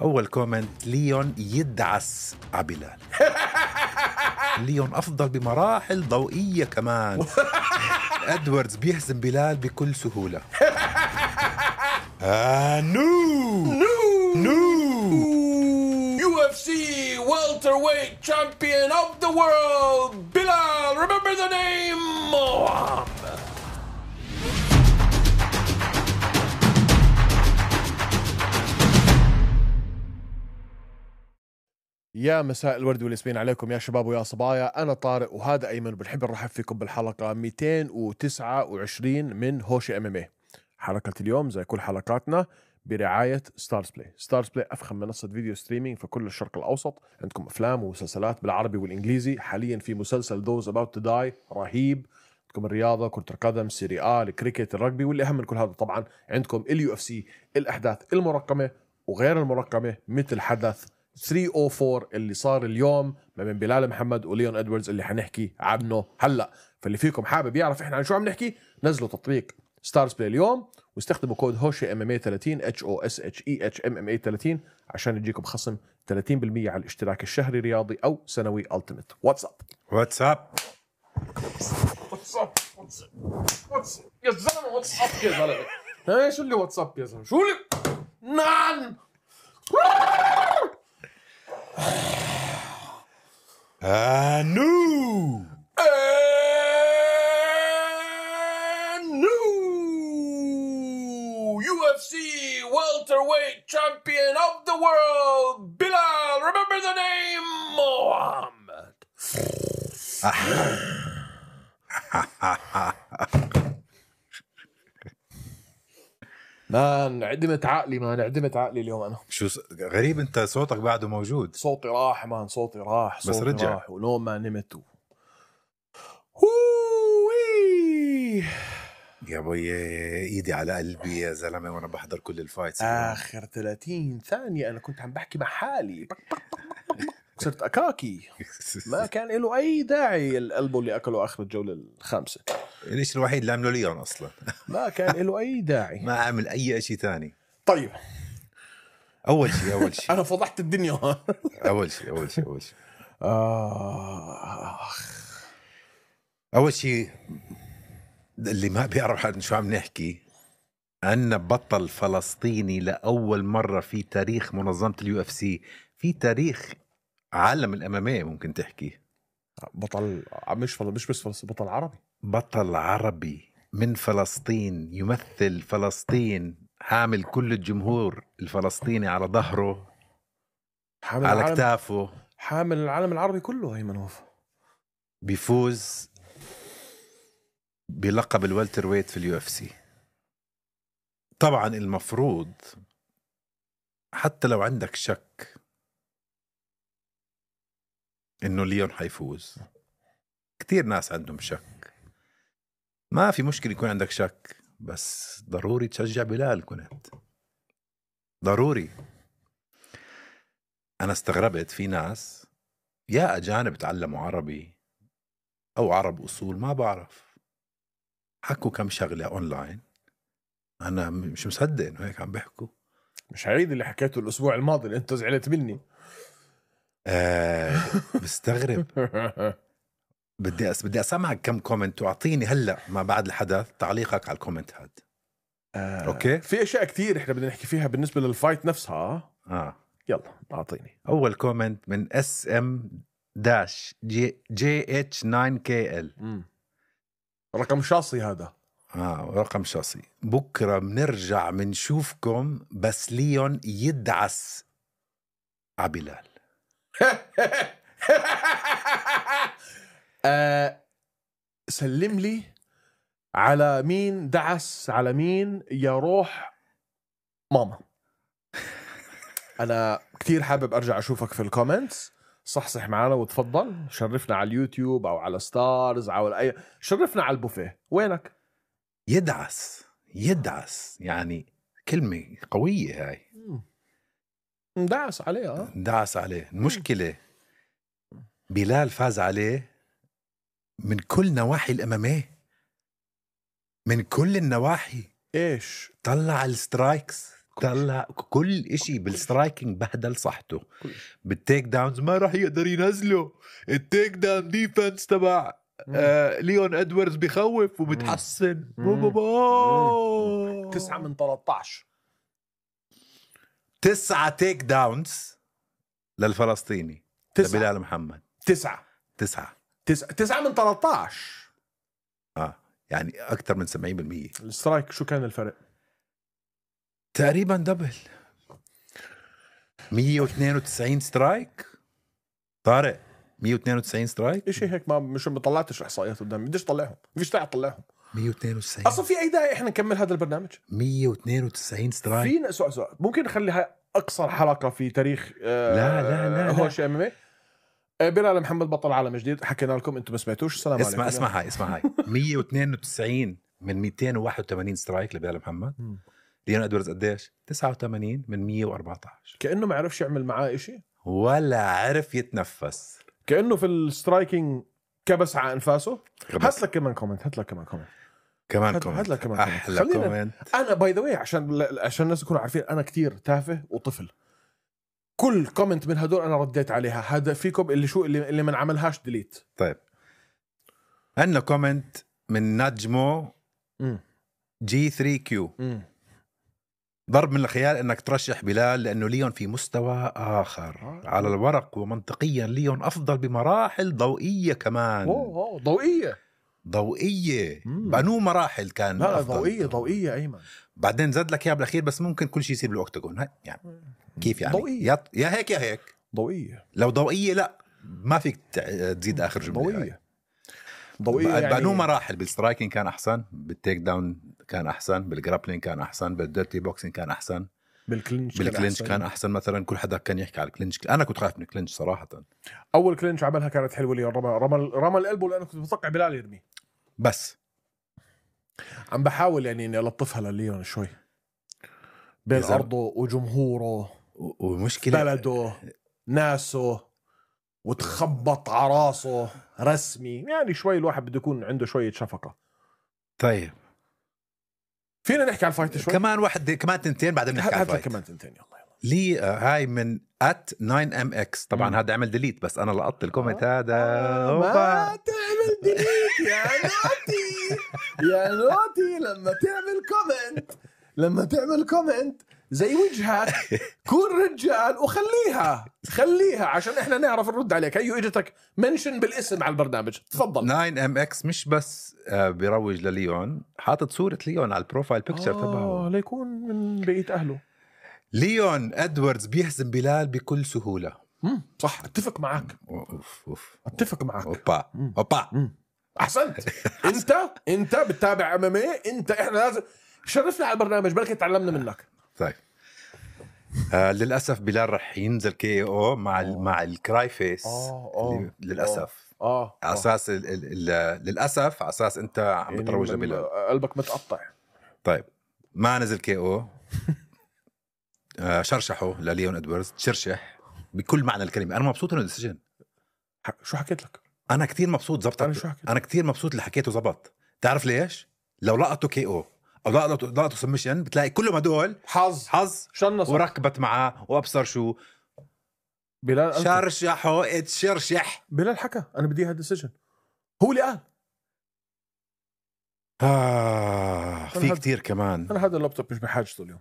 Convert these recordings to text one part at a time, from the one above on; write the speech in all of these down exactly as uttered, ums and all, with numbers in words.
أول كومنت: ليون يدعس عبلال. ليون أفضل بمراحل ضوئية كمان. أدواردز بيهزم بلال بكل سهولة. آه نو نو نو يو إف سي welterweight champion of the world Bilal, remember the name Muhammad. يا مساء الورد والياسمين عليكم يا شباب ويا صبايا. أنا طارق وهذا أيمن، بنحب نرحب فيكم بالحلقة مئتين وتسعة وعشرين من هوشي ام ام اي. حلقة اليوم زي كل حلقاتنا برعاية ستارز بلاي. ستارز بلاي أفخم منصة فيديو ستريمينج في كل الشرق الأوسط. عندكم أفلام ومسلسلات بالعربي والإنجليزي. حاليا في مسلسل Those About to Die رهيب. عندكم الرياضة، كرة القدم، سيري آ، الكريكت، الرجبي، واللي أهم من كل هذا طبعا عندكم اليو اف سي، الأحداث المرقمة وغير المرقمة، مثل حدث ثلاثمية وأربعة اللي صار اليوم ما بين بلال محمد وليون ادواردز اللي حنحكي عنه هلا. فاللي فيكم حابب يعرف احنا عن شو عم نحكي، نزلوا تطبيق ستارز بلاي اليوم واستخدموا كود هوشي ام ام اي ثلاثين اتش او اس اتش اي اتش ام ام اي ثلاثين عشان يجيكم خصم ثلاثين بالمية على الاشتراك الشهري رياضي او سنوي التيمت. واتساب واتساب واتساب واتساب يا زلمه، واتساب يا زلمه. ها شو اللي واتساب يا زلمه؟ شو اللي نعم آه نو new يو إف سي welterweight champion of the world Bilal, remember the name Muhammad. مان عدمت عقلي، مان عدمت عقلي اليوم. أنا شو س... غريب، انت صوتك بعده موجود. صوتي راح مان، صوتي راح، صوتي بس رجع. راح ونوم ما نمت و... هووي يا بوي ايدي على قلبي يا زلمه وانا بحضر كل الفايتس. آخر ثلاثين ثانية أنا كنت عم بحكي مع حالي، صرت أكاكي. ما كان له أي داعي القلب اللي أكله آخر الجولة الخامسة. الاشي الوحيد اللي عمله ليون اصلا. ما كان له أي داعي. ما عمل اي اشي تاني. طيب اول شيء اول شيء أنا فضحت الدنيا. اول شيء اول شيء اول شيء آخ اول شيء اللي ما بيعرف عن شو عم نحكي، عنا بطل فلسطيني لاول مره في تاريخ منظمه اليو اف سي، في تاريخ عالم الاماميه ممكن تحكي. بطل مش فل... مش بس فلسطين، بطل عربي. بطل عربي من فلسطين يمثل فلسطين، حامل كل الجمهور الفلسطيني على ظهره، حامل على العالم... كتافه، حامل العالم العربي كله. أيمن هوف بيفوز بلقب الوالتر ويت في اليو اف سي. طبعا المفروض حتى لو عندك شك انه ليون حيفوز، كتير ناس عندهم شك، ما في مشكلة يكون عندك شك، بس ضروري تشجع بلال. كنت ضروري. انا استغربت في ناس يا اجانب تعلموا عربي او عرب اصول، ما بعرف، حكوا كم شغلة اونلاين، انا مش مصدق انه هيك عم بيحكوا. مش هعيد اللي حكيته الأسبوع الماضي اللي أنت زعلت مني. آه بستغرب. بدي أس... بدي اسمعك كم كومنت واعطيني هلا ما بعد الحدث تعليقك على الكومنت هاد. آه. اوكي، في اشياء كتير احنا بدنا نحكي فيها بالنسبه للفايت نفسها. اه يلا اعطيني اول كومنت من اس ام داش جي جي اتش تسعة كي ال. مم. رقم شاصي هذا. اه رقم شخصي. بكره بنرجع بنشوفكم بس ليون يدعس عبلال. آه سلم لي على مين دعس على مين يا روح ماما. انا كتير حابب ارجع اشوفك في الكومنتس، صحصح معنا وتفضل شرفنا على اليوتيوب او على ستارز او اي، شرفنا على البوفيه. وينك؟ يدعس يدعس يعني كلمة قوية هاي. دعس عليه. اه دعس عليه. المشكلة بلال فاز عليه من كل نواحي الأمامية، من كل النواحي. ايش طلع السترايكس، طلع كل اشي بالسترايكينج بهدل صحته. بالتيك داونز ما راح يقدر ينزله. التيك داون ديفنس تبع آه ليون ادواردز بخوف وبتحسن. تسعة من ثلاثة عشر تسعة تيك داونز للفلسطيني تسعة. بلال محمد. تسعة تسعة تسعة تسعة من ثلاثة عشر اه يعني اكثر من سبعين بالمية. السترايك شو كان الفرق؟ تقريبا دبل. مية واثنين وتسعين سترايك طارق. مية واثنين وتسعين سترايك شيء هيك. ما مش ما طلعتش احصائيات قدامي. بديش طلعهم. بديش طلعهم. مية واثنين وتسعين اصلا في اي داعي احنا نكمل هذا البرنامج؟ مية واثنين وتسعين سترايك. فينا سؤال سؤال ممكن نخليها اقصر حلقه في تاريخ آه لا لا لا هوش ام ام اي. بلال محمد بطل عالم جديد. حكينا لكم انتم ما سمعتوش. السلام عليكم. اسمع اسمع هاي اسمع هاي مية واثنين وتسعين من مئتين وواحد وثمانين سترايك لبلال محمد. ليون ادواردز قديش؟ تسعة وثمانين من مية وأربعة عشر. كانه ما عرفش يعمل معاه إشي ولا عرف يتنفس. كانه في السترايكينج كبس على انفاسه. هات لك كمان كومنت. هات لك كمان كومنت. كمان هات كومنت. لك كمان احلى كومنت. كومنت. انا باي ذا واي عشان عشان الناس يكونوا عارفين انا كتير تافه وطفل. كل كومنت من هدول انا رديت عليها. هذا فيكم اللي شو اللي اللي ما عملهاش ديليت. طيب عندنا كومنت من نجمو جي ثري كيو. ضرب من الخيال انك ترشح بلال لانه ليون في مستوى اخر. آه. على الورق ومنطقيا ليون افضل بمراحل ضوئيه كمان. اوه ضوئيه ضوئيه بانو مراحل كان لا أفضل. ضوئيه ضوئيه ايمن. بعدين زاد لك اياها بالاخير بس ممكن كل شيء يصير بالاوكتاجون. يعني كيف يعني ضوئية. يا... يا هيك يا هيك ضوئيه. لو ضوئيه لا ما فيك تزيد اخر جمله. ضوئيه ضوئيه يعني بانو مراحل. بالسترايكينج كان احسن. بالتيك داون كان احسن. بالجرابلينج كان احسن. بالديرتي بوكسينج كان احسن. بالكلينش بالكلينش كان, كان احسن. مثلا كل حدا كان يحكي على الكلينش. انا كنت خايف من الكلينش صراحه. اول كلينش عملها كانت حلوه لي. رمى رمى رمى القلب لانه كنت متوقع بلال يرمي. بس عم بحاول يعني اني الطفها لليون شوي بين إذا... ارضه وجمهوره ومشكله بلده ناسه وتخبط على راسه رسمي. يعني شوي الواحد بده يكون عنده شويه شفقه. طيب فينا نحكي على الفايت شوي. كمان واحد كمان تنتين بعدين نحكي على الفايت. كمان تنتين يلا يلا. لي هاي من ات ناين ام اكس. طبعا هذا عمل ديليت بس انا لقطت الكومنت. آه. هذا آه ما تعمل ديليت يا نوتي. يا نوتي لما تعمل كومنت لما تعمل كومنت زي وجهك كون رجال وخليها خليها عشان احنا نعرف نرد عليك. هيو اجتك منشن بالاسم على البرنامج. تفضل. ناين ام اكس مش بس بيروج لليون. حاطط صورة ليون على البروفايل بيكتشر آه تبعه ليكون من بقية أهله. ليون ادواردز بيهزم بلال بكل سهولة. مم. صح اتفق معك. أوف أوف. اتفق معك. اوبا اوبا. احسنت. انت انت بتتابع ام ام اي. انت احنا لازم شرفنا على البرنامج. بركة تعلمنا منك. طيب آه للاسف بلال رح ينزل كي او مع ال مع الكراي فيس. آه آه للاسف اه على اساس ال ال ال للاسف على اساس انت عم يعني بتروج لبلال. قلبك متقطع. طيب ما نزل كي او. آه شرشحه لليون ادواردز. تشرشح بكل معنى الكلمه. انا مبسوط انه ديسيجن. شو حكيت لك؟ انا كتير مبسوط. زبطت. انا شو حكيت؟ انا كتير مبسوط اللي حكيته زبط. تعرف ليش؟ لو لقطوا كي او او لقطوا لقطوا سمشن بتلاقي كلهم هدول حظ حظ شنص وركبت معاه وابصر شو بلال. شرشحه اتشرشح. بلال حكى انا بدي هذا السجن. هو اللي قال. آه في هد... كتير كمان. انا هذا اللابتوب مش بحاجته اليوم.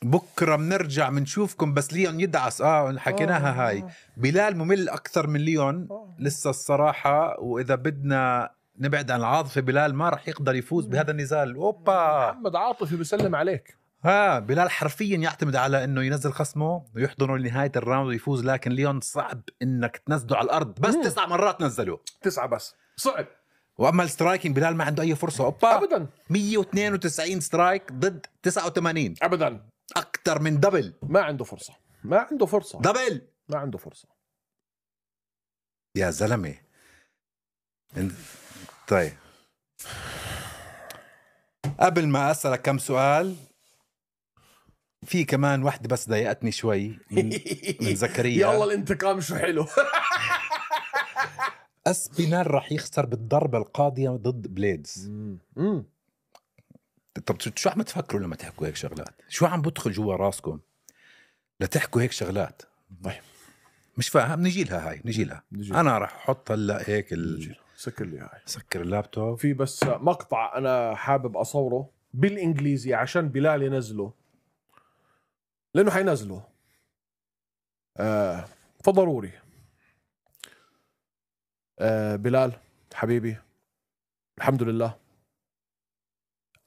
بكره بنرجع بنشوفكم بس ليون يدعس. اه حكيناها. آه. هاي بلال ممل اكثر من ليون. آه. لسه الصراحه. واذا بدنا نبعد عن العاطفه بلال ما رح يقدر يفوز بهذا النزال. اوبا محمد عاطفي بيسلم عليك. ها بلال حرفيا يعتمد على انه ينزل خصمه ويحضنه لنهايه الراوند ويفوز. لكن ليون صعب انك تنزله على الارض. بس مم. تسع مرات نزله. تسعه بس صعب. واما السترايكينج بلال ما عنده اي فرصه. اوبا ابدا. مية واثنين وتسعين سترايك ضد تسعة وثمانين. ابدا. اكثر من دبل. ما عنده فرصه. ما عنده فرصه. دبل. ما عنده فرصه يا زلمه. طيب قبل ما اسالك كم سؤال في كمان واحدة بس ضايقتني شوي من, من زكريا. يلا الانتقام شو حلو. اسبينال راح يخسر بالضربة القاضية ضد بليدز. مم. طب شو عم تفكروا لما تحكوا هيك شغلات؟ شو عم بدخل جوا راسكم لتحكوا هيك شغلات؟ طيب مش فاهم. نجي لها هاي نجي لها نجي. انا راح احط هلا هيك ال... سكر لي هاي. سكر اللابتوب. في بس مقطع انا حابب اصوره بالانجليزي عشان بلال ينزله لانه حينزله آه فضروري. آه بلال حبيبي الحمد لله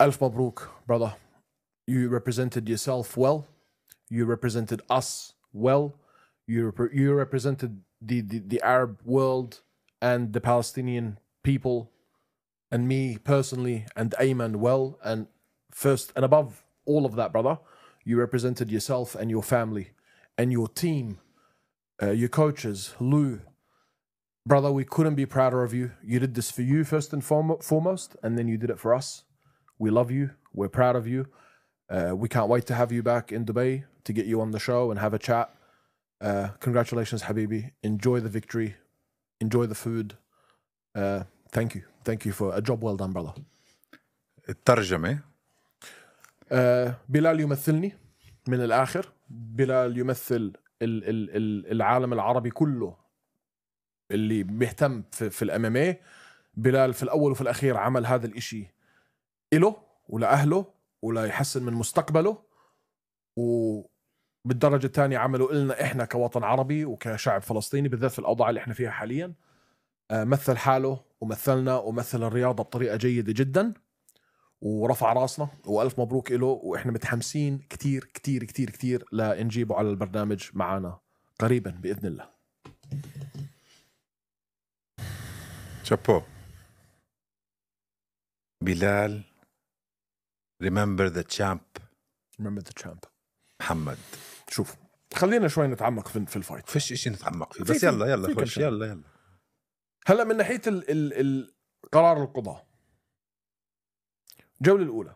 ألف مبروك brother. You represented yourself well. You represented us well. You, rep- you represented the, the, the Arab world and the Palestinian people and me personally and Ayman well. And first and above all of that, brother, you represented yourself and your family and your team, uh, your coaches, Lou. Brother, we couldn't be prouder of you. You did this for you first and form- foremost, and then you did it for us. We love you. We're proud of you. Uh, we can't wait to have you back in Dubai to get you on the show and have a chat. Uh, congratulations, Habibi. Enjoy the victory. Enjoy the food. Uh, thank you. Thank you for a job well done, brother. الترجمة. Uh, بلال يمثلني من الآخر. بلال يمثل ال- ال- ال- العالم العربي كله اللي بيهتم في, في الام ام اي. بلال في الأول وفي الأخير عمل هذا الإشي إله ولأهله ولا يحسن من مستقبله، وبالدرجة الثانية عمله إلنا إحنا كوطن عربي وكشعب فلسطيني بالذات في الأوضاع اللي إحنا فيها حاليا. مثل حاله ومثلنا ومثل الرياضة بطريقة جيدة جدا ورفع راسنا، وألف مبروك إله. وإحنا متحمسين كتير كتير كتير كتير لنجيبه على البرنامج معنا قريبا بإذن الله. شابو بلال. remember the champ. remember the champ. محمد شوف خلينا شوي نتعمق في, في الفايت. فيش اشي نتعمق فيه بس يلا يلا خش يلا يلا. هلا من ناحية ال ال القرار القضاء الجولة الأولى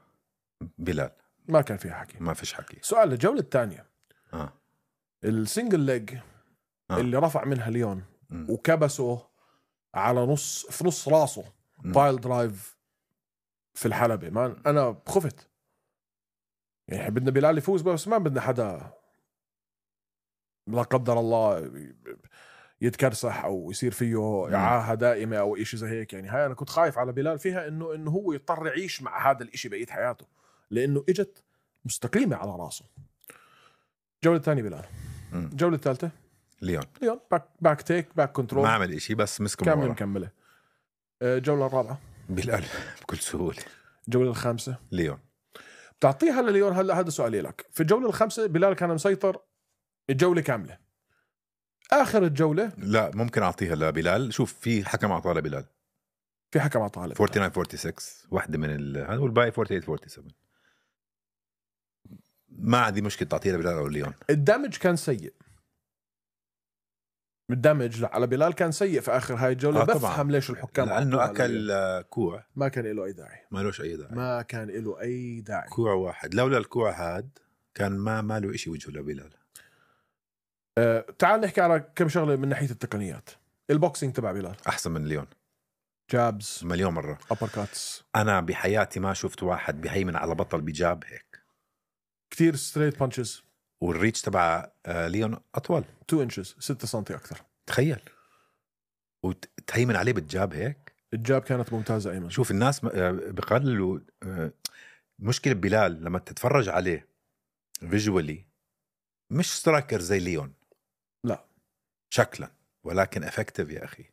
بلال ما كان فيها حكي، ما فيش حكي. سؤال الجولة الثانية آه. السنجل ليج آه. اللي رفع منها ليون م. وكبسه على نص في نص راسه بايل درايف في الحلبة. ما أنا خفت يعني بدنا بلال يفوز بس ما بدنا حدا لا قدر الله يتكرسح او يصير فيه اعاهه دائمه او إشي زي هيك. يعني هاي انا كنت خايف على بلال فيها انه انه هو يضطر يعيش مع هذا الإشي بقية حياته لانه اجت مستقيمه على راسه. الجوله الثانيه بلال. الجوله الثالثه ليون ليون باك باك تيك باك كنترول ما عمل إشي بس مسكه كامل مكمله. الجوله الرابعه بلال بكل سهوله. الجوله الخامسه ليون بتعطيها لليون. هلا هذا سؤالي لك، في الجوله الخامسه بلال كان مسيطر الجوله كامله. اخر الجوله لا ممكن اعطيها لبلال. شوف في حكم اعطاها لبلال، في حكم اعطاها لبلال تسعة وأربعين ستة وستة واحده من ال... هذا والباقي أربعة وأربعين سبعة وأربعين. ما عندي مشكله تعطيها لبلال او ليون. الدمج كان سيء، الدمج على بلال كان سيء في اخر هاي الجوله. آه بفهم ليش الحكام لانه اكل كوع ما كان له اي داعي. ما لهش اي داعي ما كان له اي داعي. كوع واحد لولا الكوع هاد كان ما ما له شيء وجهه لبلال. أه تعال نحكي على كم شغله من ناحيه التقنيات. البوكسينج تبع بلال احسن من ليون جابز مليون مره. ابر كاتس انا بحياتي ما شفت واحد بيهيمن على بطل بجاب هيك. كتير ستريت بانشز. والريتش تبع ليون اطول اثنين انشز ستة سنتي اكثر. تخيل وتهيمن عليه بالجاب هيك. الجاب كانت ممتازه ايمن. شوف الناس بقللوا مشكله بلال لما تتفرج عليه فيجوالي مش سترايكر زي ليون لا شكلا، ولكن افكتيف يا اخي.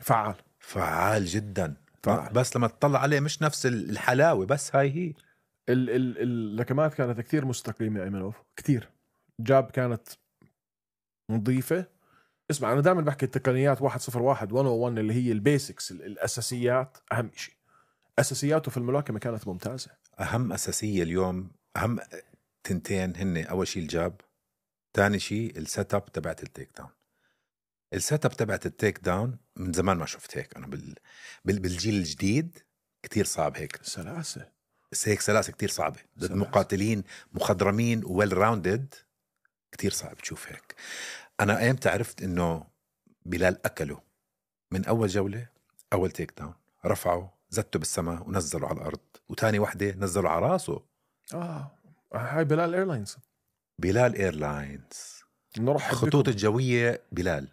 فعال فعال جدا. فعال. بس لما تطلع عليه مش نفس الحلاوه، بس هاي هي ال ال اللكمات كانت كتير مستقيمه ايمنوف كتير. جاب كانت نظيفه. اسمع انا دائما بحكي التقنيات واحد صفر واحد مية وواحد اللي هي البيسكس الاساسيات اهم شيء. اساسياته في الملاكمه كانت ممتازه. اهم اساسيه اليوم اهم تنتين هن اول شيء الجاب، ثاني شيء السيت اب تبعت التيك داون. السيت اب تبعت التيك داون من زمان ما شفت هيك انا بال... بال... بالجيل الجديد كتير صعب هيك. سلاسه هيك سلاسه كتير صعبه ضد مقاتلين مخضرمين ويل راوندد. كتير صعب تشوف هيك. انا ايمتى عرفت انه بلال اكله؟ من اول جوله اول تيك داون رفعه زته بالسماء ونزلوا على الأرض، وتاني وحدة نزلوا على راسه. اه هاي بلال ايرلاينز. بلال ايرلاينز. نرحب الخطوط بكم. الجوية بلال.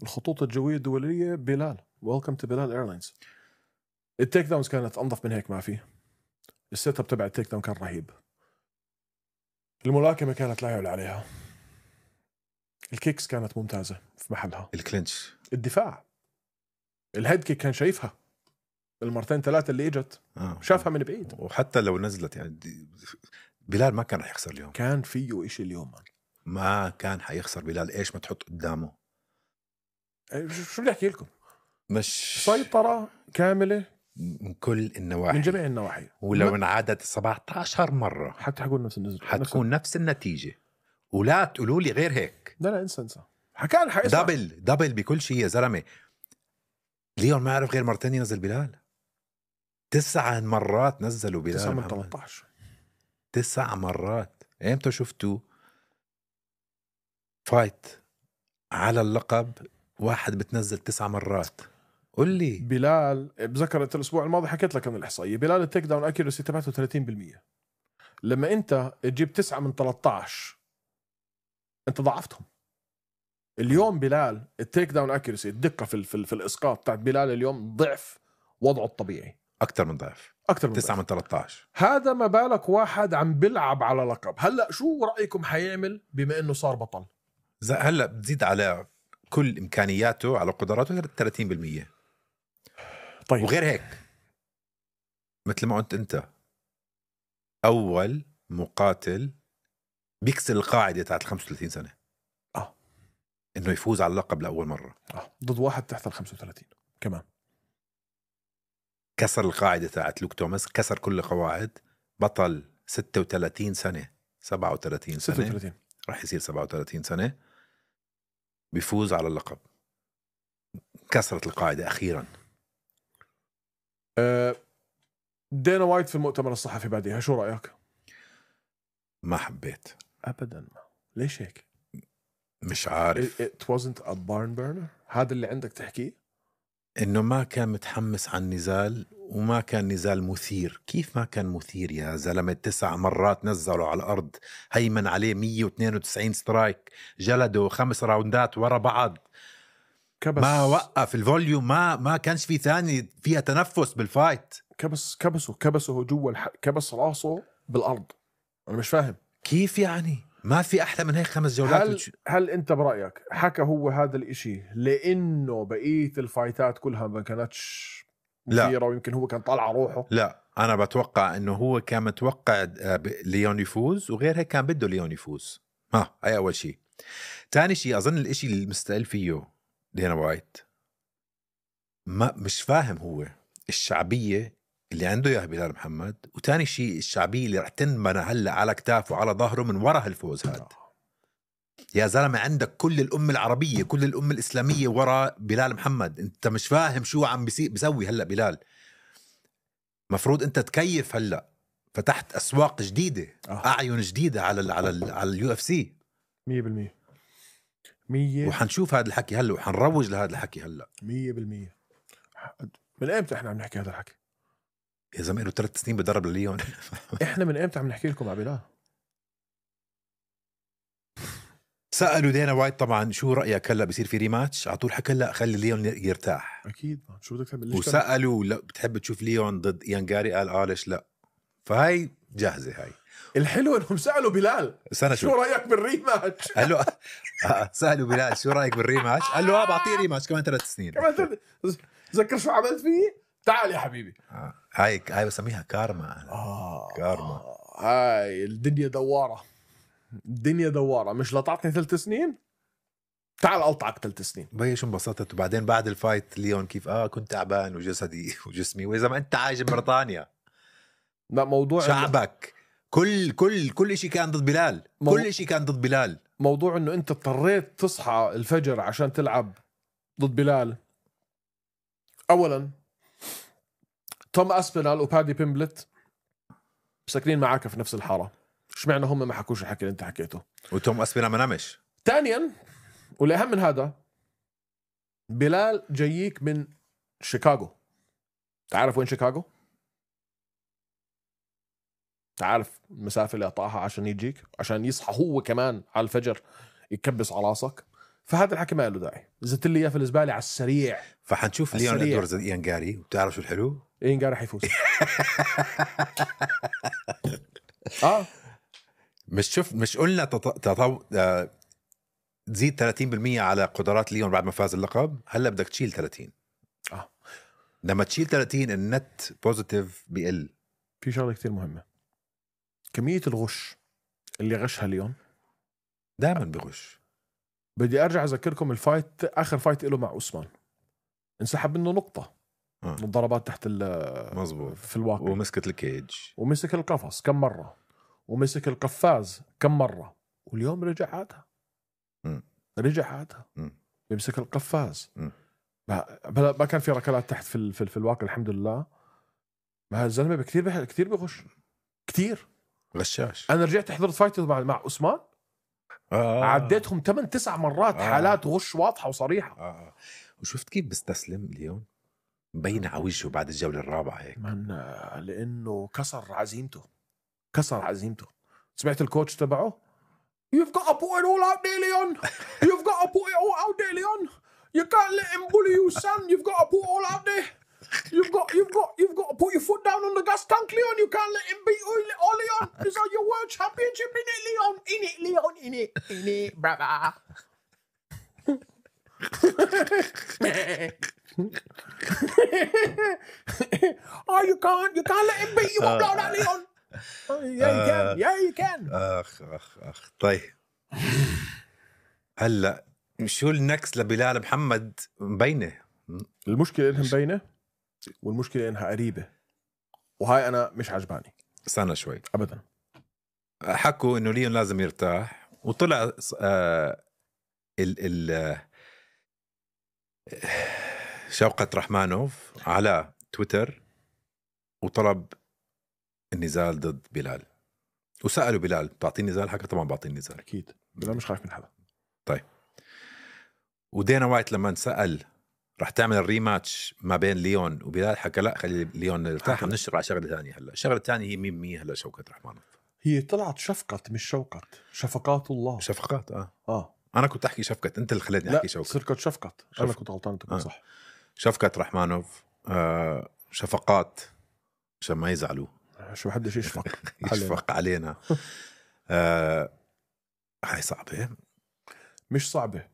الخطوط الجوية الدولية بلال. ويلكم تو بلال ايرلاينز. التيك داونز كانت انظف من هيك ما في. السيت اب تبع التيك داون كان رهيب. الملاكمة كانت لا يعلى عليها. الكيكس كانت ممتازة في محلها. الكلينش. الدفاع، الهيد كيك كان شايفها المرتين ثلاثة اللي اجت آه. شافها من بعيد. وحتى لو نزلت يعني دي... بلال ما كان رح يخسر اليوم. كان فيه إشي اليوم من. ما كان حيخسر بلال ايش ما تحط قدامه. شو بدي احكي لكم؟ مش سيطرة كاملة من كل النواحي، من جميع النواحي. ولو انعادت سبعة عشر مرة حتى حقول نفس النزل حتكون نفس النتيجة، ولا تقولوا لي غير هيك. لا لا انسى انسى حكان حيصعب. دبل دبل بكل شيء يا زلمة. ليون ما عرف غير مرتين ينزل بلال. تسع مرات نزلوا بلال. تسعة من ثلاثة عشر. تسع مرات. امتى شفتوا فايت على اللقب واحد بتنزل تسع مرات؟ قل لي. بلال بذكرت الاسبوع الماضي حكيت لك عن الاحصائيه. بلال التيك داون اكيورسي تبعته ثلاثين بالمية. لما انت تجيب تسعة من ثلاثة عشر انت ضعفتهم. اليوم بلال التيك داون اكيورسي الدقه في في, في الاسقاط تاعت بلال اليوم ضعف وضعه الطبيعي. اكثر من ضعف. اكثر من تسعة ضعف. من ثلاثة عشر. هذا ما بالك واحد عم بيلعب على لقب. هلا شو رايكم حيعمل بما انه صار بطل؟ هلا بتزيد على كل امكانياته على قدراته ثلاثين بالمية. طيب وغير هيك مثل ما قلت انت، اول مقاتل بيكسر القاعده تاعت خمسة وثلاثين سنه اه انه يفوز على اللقب لاول مره. اه ضد واحد تحت ال خمسة وثلاثين كمان. كسر القاعده تاعت لوك توماس، كسر كل القواعد. بطل ستة وثلاثين سنه، سبعة وثلاثين سنه، ستة وثلاثين راح يصير سبعة وثلاثين سنه، بيفوز على اللقب. كسرت القاعده اخيرا. أه دينا وايت في المؤتمر الصحفي بعدها شو رايك؟ ما حبيت ابدا. ما ليش هيك؟ مش عارف. It, it wasn't a barn burner. هذا اللي عندك تحكيه؟ انه ما كان متحمس عن النزال، وما كان نزال مثير. كيف ما كان مثير يا زلمة؟ تسع مرات نزلوا على الارض، هيمن عليه مية واثنين وتسعين سترايك، جلده خمس راوندات ورا بعض. كبس ما وقف الفوليوم، ما ما كانش في ثاني فيها تنفس بالفايت. كبس كبسه كبسه جوا الح... كبس راسه بالارض. انا مش فاهم كيف يعني؟ ما في احلى من هيك خمس جولات. هل وتش... هل انت برايك حكى هو هذا الاشي لانه بقيه الفايتات كلها ما كانتش مثيره ويمكن هو كان طالع روحه؟ لا، انا بتوقع انه هو كان متوقع ليون يفوز، وغير هيك كان بده ليون يفوز. ها هاي اول شيء. ثاني شيء اظن الاشي اللي مستقل فيه دينا وايت، ما مش فاهم هو الشعبيه اللي عنده يا بلال محمد، وتاني شيء الشعبيه اللي رح تنبنى هلا على كتافه وعلى ظهره من وراء هالفوز هذا. يا زلمه عندك كل الامه العربيه، كل الامه الاسلاميه وراء بلال محمد. انت مش فاهم شو عم بيسوي هلا بلال. مفروض انت تكيف. هلا فتحت اسواق جديده، آه. اعين جديده على ال على ال على اليو اف سي مية بالمية. مية وحنشوف هذا الحكي هلا، وحنروج لهذا الحكي هلا. مية بالمية. من امتى احنا عم نحكي هذا الحكي؟ يا زلمه له ثلاث سنين بدرب لليون. احنا من امتى عم نحكي لكم على بلال؟ سألوا دينا وايت طبعا شو رأيك هلا بصير في ريماتش؟ على طول حكى لا، خلي ليون يرتاح. اكيد. شو بدك تعمل؟ وسألوا لا بتحب تشوف ليون ضد إيان جاري؟ قال اه ليش لا. فهاي جاهزة. هاي الحلو انهم سألوا بلال شو, شو رأيك بالريماتش؟ قال له آه سألوا بلال شو رأيك بالريماتش؟ قال له اه بعطيه ريماتش كمان ثلاث سنين. كمان ثلاث. تذكر شو عملت فيه؟ تعال يا حبيبي. آه. هاي هاي بسميها كارما. آه. كارما. آه. هاي الدنيا دوارة. الدنيا دوارة. مش لطعتني ثلاث سنين؟ تعال ألطعك ثلاث سنين. بي شو انبسطت. وبعدين بعد الفايت ليون كيف اه كنت تعبان وجسدي وجسمي. وإذا ما أنت عايش ببريطانيا، لا موضوع شعبك كل كل كل شيء كان ضد بلال. مو... كل شيء كان ضد بلال. موضوع إنه أنت اضطريت تصحى الفجر عشان تلعب ضد بلال. أولا توم أسبينال وبادي بيمبلت ساكنين معاك في نفس الحارة. اشمعنى هم ما حكوش الحكي اللي أنت حكيته؟ وتوم أسبينال ما نامش. ثانيا والأهم من هذا، بلال جاييك من شيكاغو. تعرف وين شيكاغو؟ تعرف المسافة اللي قطعها عشان يجيك، عشان يصحى هو كمان على الفجر يكبس على راسك. فهذا الحكي ما له داعي، زدت لي اياه في الزبالة على السريع. فحنشوف ليون ادواردز إيانغاري، وبتعرف شو الحلو؟ إيانغاري حيفوز. اه مش شوف مش قلنا تطو... آه... تزيد ثلاثين بالمية على قدرات ليون بعد ما فاز اللقب، هلا بدك تشيل ثلاثين. اه لما تشيل ثلاثين النت بوزيتيف بيقل. في شغله كتير مهمه، كميه الغش اللي غشها ليون دائما بغش. بدي ارجع اذكركم الفايت، اخر فايت له مع عثمان انسحب منه نقطه آه. من الضربات تحت ال مظبوط في الواقع، ومسكت الكيج ومسك القفص كم مره، ومسك القفاز كم مره، واليوم رجع عادها. م. رجع عادها م. بيمسك القفاز. م. ما ما كان في ركلات تحت في ال... في, ال... في الواقع الحمد لله. ما الزلمه كثير بح... كثير بغش كثير غشاش. انا رجعت حضرت فايت مع مع عثمان آه. عديتهم ثمان تسع مرات آه. حالات غش واضحه وصريحه. آه. وشفت كيف بيستسلم اليوم، مبين على وجهه بعد الجوله الرابعه هيك من لانه كسر عزيمته، كسر عزيمته. سمعت الكوتش تبعه You've got to put it all out there, Leon. You've got to put it all out there, Leon. You can't let him bully you, son. You've got to put it all out there. You've got, you've got, you've got to put your foot down on the gas tank, Leon. You can't let him beat you, oh, Leon. This is your world championship, in it, Leon. In it, Leon. In it, in it, brother. Oh, you can't, you can't let him beat you up like that, Leon. Yeah, you can. Yeah, you can. اخ اخ اخ طيب هلا شو النكس لبلال محمد؟ مبينه المشكله انها مبينه، والمشكله انها قريبه، وهاي انا مش عجباني. استنى شوي. ابدا. حكوا انه ليون لازم يرتاح، وطلع آه ال ال شوقة رحمانوف على تويتر وطلب النزال ضد بلال، وسألوا بلال بتعطيني نزال؟ حكى طبعا بعطيني نزال. اكيد بلال مش خايف من حدا. طيب ودينا وايت لما سأل رح تعمل الريماتش ما بين ليون وبلال، حكى لا خلي ليون يرتاح، نشتغل على شغله ثانيه. هلا الشغله الثانيه هي مين مين هلا شوكة رحمانوف. هي طلعت شفقت مش شوقت، شفقات الله. شفقات اه اه انا كنت احكي شفقت، انت اللي خليتني احكي شوكة. صرت شفقت، شف... انا كنت غلطان، انت كنت آه. صح. شفقة رحمانوف آه شفقات عشان ما يزعلوا، شو حدش يشفق يشفق علينا. آه هاي صعبة. مش صعبة،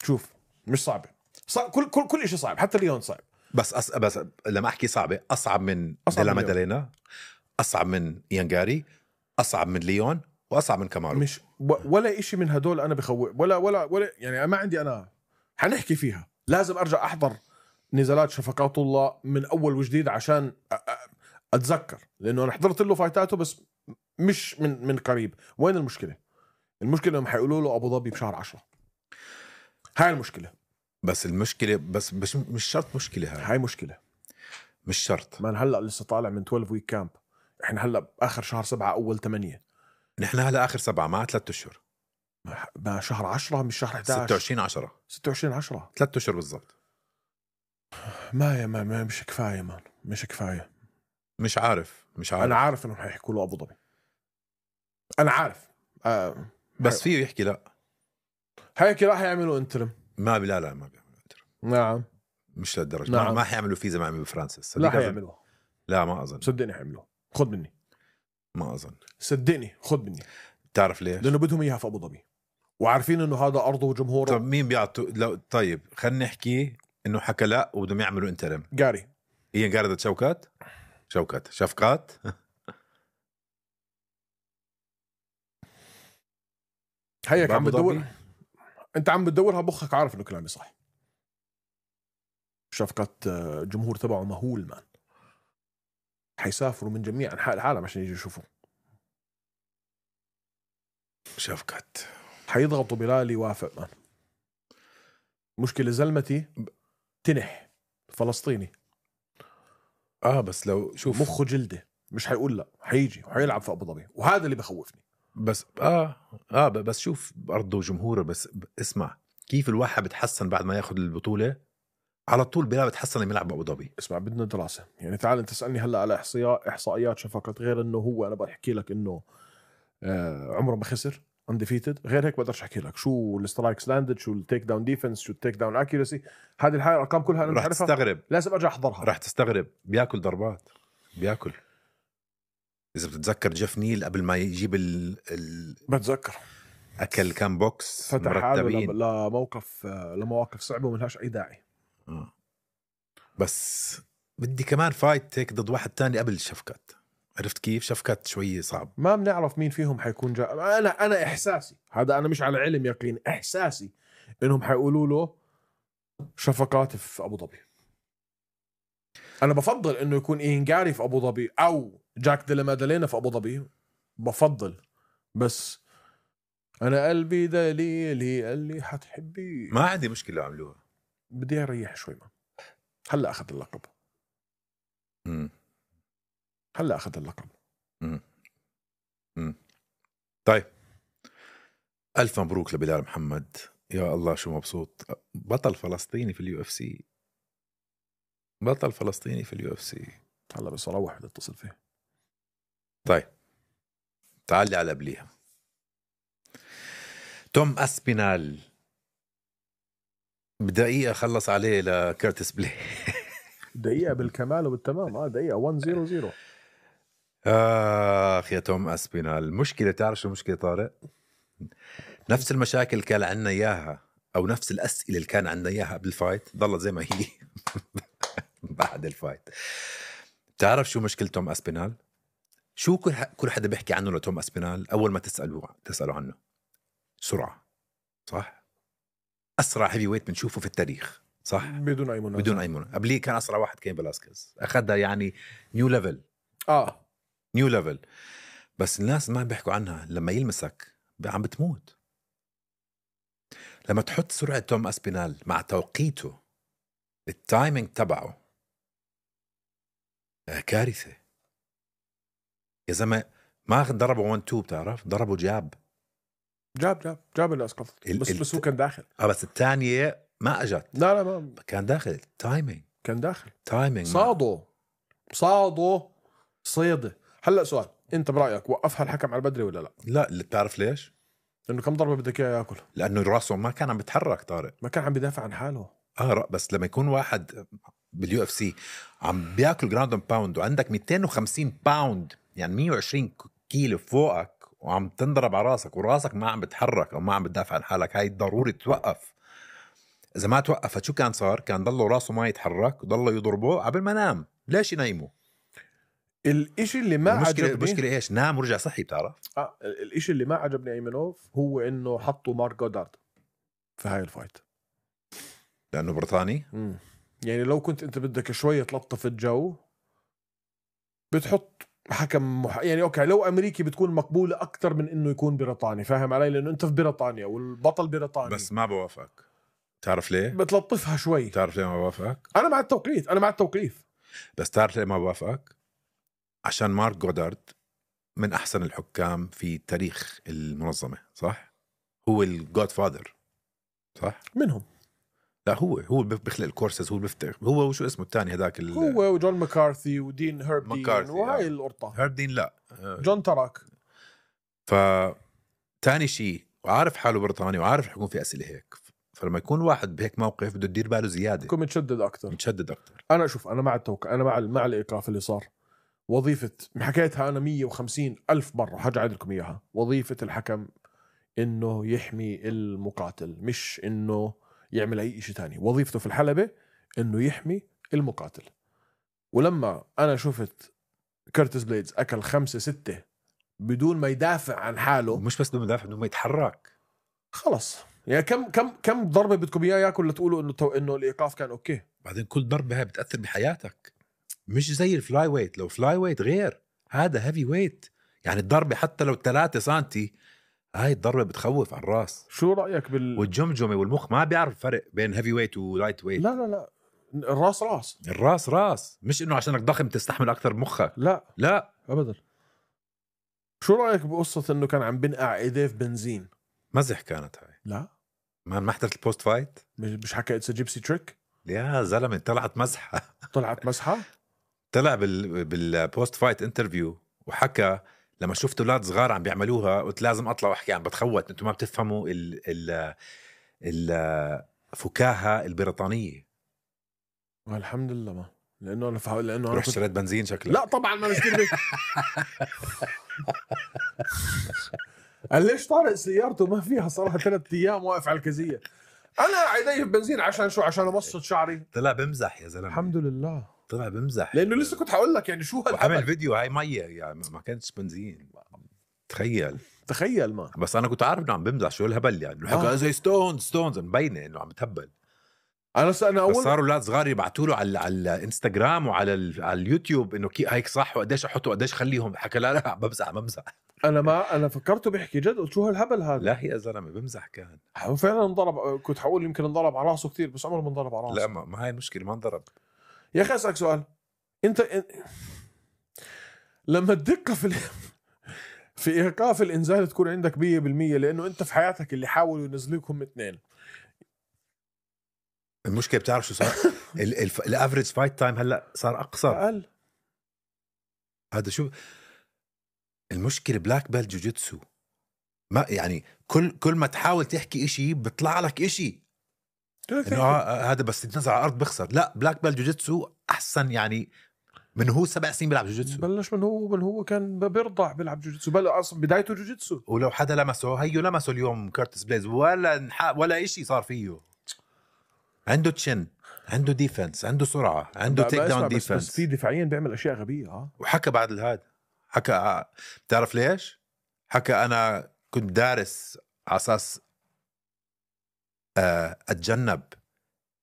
شوف مش صعبة، صعب. كل كل كل شيء صعب، حتى ليون صعب. بس أص... بس لما احكي صعبة، اصعب من أصعب ديلا من مادالينا، اصعب من إيانغاري، اصعب من ليون، واصعب من كامارو. مش ولا إشي من هدول انا بخوف، ولا ولا ولا يعني ما عندي. انا حنحكي فيها، لازم ارجع احضر نزالات شفقات الله من اول وجديد عشان اتذكر، لانه انا حضرت له فايتاته بس مش من من قريب. وين المشكله؟ المشكله انهم حيقولوا له ابو ظبي بشهر عشرة. هاي المشكله. بس المشكله بس مش مش شرط مشكله. هاي هاي مشكله مش شرط. ما هلا لسه طالع من اثنا عشر ويك كامب، احنا هلا اخر شهر سبعة اول ثمانية، نحن هلا اخر سبعة مع ثلاثة اشهر، ما شهر عشرة مش شهر إحدى عشر. ستة وعشرين عشرة ستة وعشرين عشرة ثلاثة اشهر بالضبط. ما يا ما, ما مش كفايه مان، مش كفايه. مش عارف مش عارف انا عارف انهم حيحكوا له ابو ظبي، انا عارف آه. بس فيه يحكي لا، هيك راح يعملوا انترم. ما بلا لا ما بيعملوا انترم. نعم مش للدرجه. نعم. ما, ما حيعملوا فيه زي ما عملوا بفرانسيس. لا حيعملوها. لا ما اظن. صدقني حيعملوها، خذ مني. ما اظن. صدقني خذ مني. تعرف ليش؟ لانه بدهم اياها في ابو ظبي، وعارفين انه هذا ارضه وجمهوره. طب مين بيعطوا لو... طيب خلينا نحكي انه حكى لا وبدهم يعملوا انترم. قاري هي قاردة شوكات شوكات شفقات. هيك عم بدور، انت عم بتدورها بخك، عارف انه كلامي صح. شفقة جمهور تبعه مهول مان، حيسافروا من جميع انحاء العالم عشان يجوا يشوفوا. شفقات حيضغطوا بلال يوافق مان. مشكلة زلمتي تنح فلسطيني اه بس لو شوف مخه جلده مش حيقول لا، حيجي وحيلعب في ابو ظبي، وهذا اللي بخوفني. بس اه اه بس شوف ارضه وجمهوره. بس اسمع كيف الواحد بتحسن بعد ما ياخذ البطوله، على طول بلال بتحسن لما يلعب بأبو ظبي. اسمع بدنا دراسة، يعني تعال انت تسألني هلا على احصائيات احصائيات شفقات، غير انه هو انا بحكي لك انه آه عمره ما خسر انديفيتد، غير هيك بقدرش احكي لك شو السترايكس لاندد، شو التيك داون ديفنس، شو التيك داون اكيورسي. هذه الحاجه الارقام كلها انا مش رح عارفها، تستغرب لازم ارجع احضرها. رح تستغرب بياكل ضربات، بياكل. اذا بتتذكر جيف نيل قبل ما يجيب ال, ال... بتذكر اكل كام بوكس فتح حاله مرتبين ل- لموقف لمواقف صعبه وملهاش اي داعي. آه. بس بدي كمان فايت هيك ضد واحد تاني قبل شفكات. عرفت كيف؟ شفكات شوي صعب. ما بنعرف مين فيهم حيكون جاء. انا انا احساسي هذا، انا مش على علم يقين، احساسي انهم حيقولوا له شفقات في ابو ظبي. انا بفضل انه يكون إينغاري في ابو ظبي او جاك ديلا مادالينا في ابو ظبي، بفضل. بس انا قلبي دليلي قال لي حتحبي. ما عندي مشكله عملوها، بدي اريح شوي. ما هلا اخذ اللقب، امم هلا اخذ اللقب. امم امم طيب، الف مبروك لبلال محمد. يا الله شو مبسوط. بطل فلسطيني في اليو اف سي، بطل فلسطيني في اليو اف سي. هلا بس اروح بدي اتصل فيه. طيب تعال لي على قبليها. توم اسبينال بدقيقة خلص عليه لكيرتس بلاي. دقيقة بالكمال وبالتمام. اه دقيقة واحد صفر صفر. آخ يا توم أسبينال. المشكلة تعرف شو المشكلة طارق؟ نفس المشاكل كان عندنا إياها، أو نفس الأسئلة اللي كان عندنا إياها قبل الفايت ضلت زي ما هي بعد الفايت. تعرف شو مشكلة توم أسبينال؟ شو كل كل حدا بيحكي عنه لتوم أسبينال أول ما تسألوا تسألوا عنه؟ سرعة، صح؟ أسرع هيفي ويت بنشوفه في التاريخ، صح؟ بدون أي منازع. بدون أي منازع. قبليه كان أسرع واحد كين بلاسكيز، أخذها يعني نيو ليفل. اه نيو ليفل. بس الناس ما بيحكوا عنها. لما يلمسك عم بتموت. لما تحط سرعة توم أسبينال مع توقيته، التايمينج تبعه كارثة يا زلمة. ما ضربه واحد اتنين، بتعرف ضربه جاب جاب جاب جاب اللي اسقطت. ال- بس ال- بس هو كان داخل. اه بس الثانية ما اجت. لا لا ما كان داخل. تايمينج كان داخل. تايمينج صادوا صادوا صيدة. هلا سؤال، انت برأيك وقفها الحكم على البدري ولا لا؟ لا، اللي بتعرف ليش؟ لانه كم ضربة بدك اياه ياكل؟ لانه راسه ما كان عم بيتحرك طارق. ما كان عم بيدافع عن حاله. اه بس لما يكون واحد باليو اف سي عم بياكل جراوند اند باوند، وعندك مئتين وخمسين باوند يعني مية وعشرين كيلو فوقك، وعم تنضرب على راسك وراسك ما عم بتحرك او ما عم بتدافع عن حالك، هاي ضروري توقف. اذا ما توقفت شو كان صار؟ كان ضله راسه ما يتحرك وضله يضربه قبل ما نام. ليش ينيمه؟ الاشي اللي ما المشكلة عجبني المشكلة ايش؟ نام ورجع صحي. بتعرف آه الاشي اللي ما عجبني ايمنوف هو انه حطوا مارك جودارد في هاي الفايت. لانه بريطاني. مم. يعني لو كنت انت بدك شوية تلطف الجو بتحط حكم مح... يعني اوكي لو امريكي بتكون مقبولة اكتر من انه يكون بريطاني، فاهم علي؟ لانه انت في بريطانيا والبطل بريطاني. بس ما بوافقك. تعرف ليه؟ بتلطفها شوي. تعرف ليه ما بوافقك؟ انا مع التوقيت، انا مع التوقيف. بس تعرف ليه ما بوافقك؟ عشان مارك جودارد من أحسن الحكام في تاريخ المنظمة، صح؟ هو الجود فاذر، صح؟ منهم. لا هو هو بيخلق الكورسز، هو بيفتح. هو وشو اسمه الثاني هذاك؟ هو وجون مكارثي ودين هيربدين مكارثي، وهاي آه. القرطة. هاردين لا. جون تراك. ف تاني شيء، وعارف حاله بريطاني وعارف حيكون في أسئلة هيك. فلما يكون واحد بهيك موقف بده يدير باله زيادة، يكون متشدد اكتر. متشدد أكتر. انا شوف، انا مع التوقع، انا مع مع الايقاف اللي صار. وظيفة حكيتها انا مية وخمسين الف مرة، حاجة أعيد لكم اياها. وظيفة الحكم انه يحمي المقاتل، مش انه يعمل اي شيء تاني. وظيفته في الحلبة انه يحمي المقاتل. ولما انا شفت كيرتس بليدز اكل خمسة ستة بدون ما يدافع عن حاله، مش بس بدون مدافع، بدون ما يتحرك. خلص يعني كم كم كم ضربة بدكم اياه ياكل لتقولوا انه تو انه الايقاف كان اوكي؟ بعدين كل ضربة هاي بتأثر بحياتك، مش زي الفلاي ويت. لو فلاي ويت غير، هذا هيفي ويت. يعني الضربة حتى لو ثلاثة سنتي، هاي الضربة بتخوف على الراس. شو رأيك بال والجمجمة والمخ ما بيعرف الفرق بين هيفي ويت ولايت ويت. لا لا لا، الراس راس. الراس راس، مش انه عشانك ضخم تستحمل اكثر مخك. لا لا ابدا. شو رأيك بقصة انه كان عم بنقع ايديه في بنزين؟ مزح كانت هاي. لا ما ما حضرت البوست فايت. مش مش حكى اتس جيبسي تريك. يا زلمه طلعت مزحه. طلعت مسحه. طلع بال بالبوست فايت انترفيو وحكى لما شفت اولاد صغار عم بيعملوها قلت لازم اطلع واحكي عم بتخوت انتم ما بتفهموا ال ال الفكاهه البريطانيه. الحمد لله ما لانه انا فا... لانه انا رحت اشتريت بنزين شكلك. لا طبعا ما بشتري. قال ليش طارق سيارته ما فيها صراحه ثلاث ايام واقف على الكزيه. انا عيدي في بنزين عشان شو؟ عشان امصت شعري. طلع بمزح يا زلمه. الحمد لله طلع بمزح لانه لسه كنت حقول لك يعني شو هالعمل فيديو هاي ميه يعني ما كانتش بنزين. تخيل تخيل ما بس انا كنت عارف انه عم بمزح شو الهبل يعني حكى آه. زي ستونز ستونز مبينه انه عم بتهبل. انا انا اول بس صاروا اولاد صغار يبعثوا له على على الانستغرام وعلى ال... على اليوتيوب انه كي هيك صح وقديش احطه وقديش خليهم. حكى لا لا بمزح بمزح. انا ما انا فكرته بيحكي جد قلت شو هالهبل هذا. لا يا زلمه بمزح كان فعلا انضرب. كنت حقول يمكن انضرب على راسه كثير بس عمره ما انضرب على راسه. لا ما, ما هاي المشكله ما انضرب. يا اخي اسالك سؤال انت إن... لما الدقه في ال... في ايقاف الانزال تكون عندك مية بالمية لانه انت في حياتك اللي حاولوا ينزلوكم اثنين. المشكله بتعرف شو صار؟ الافريج فايت تايم هلا صار اقصر اقل. هذا شو المشكله؟ بلاك بيلت جوجيتسو ما يعني كل كل ما تحاول تحكي إشي بيطلع لك إشي انه آه هذا بس يتنزل على الارض بخسر. لا بلاك بيلت جوجيتسو احسن يعني من هو سبع سنين بيلعب جوجيتسو. بلش من هو من هو كان بيرضع بيلعب جوجيتسو. بل اصلا بدايته جوجيتسو. ولو حدا لمسه هيو لمسه اليوم كارتس بليز ولا نحا ولا إشي صار فيه. عنده تشن عنده ديفنس عنده سرعه عنده تيك داون ديفنس. بس في دفاعيا بيعمل اشياء غبيه. اه وحكى بعد الهاد حكى بتعرف ليش؟ حكى انا كنت دارس على اساس اتجنب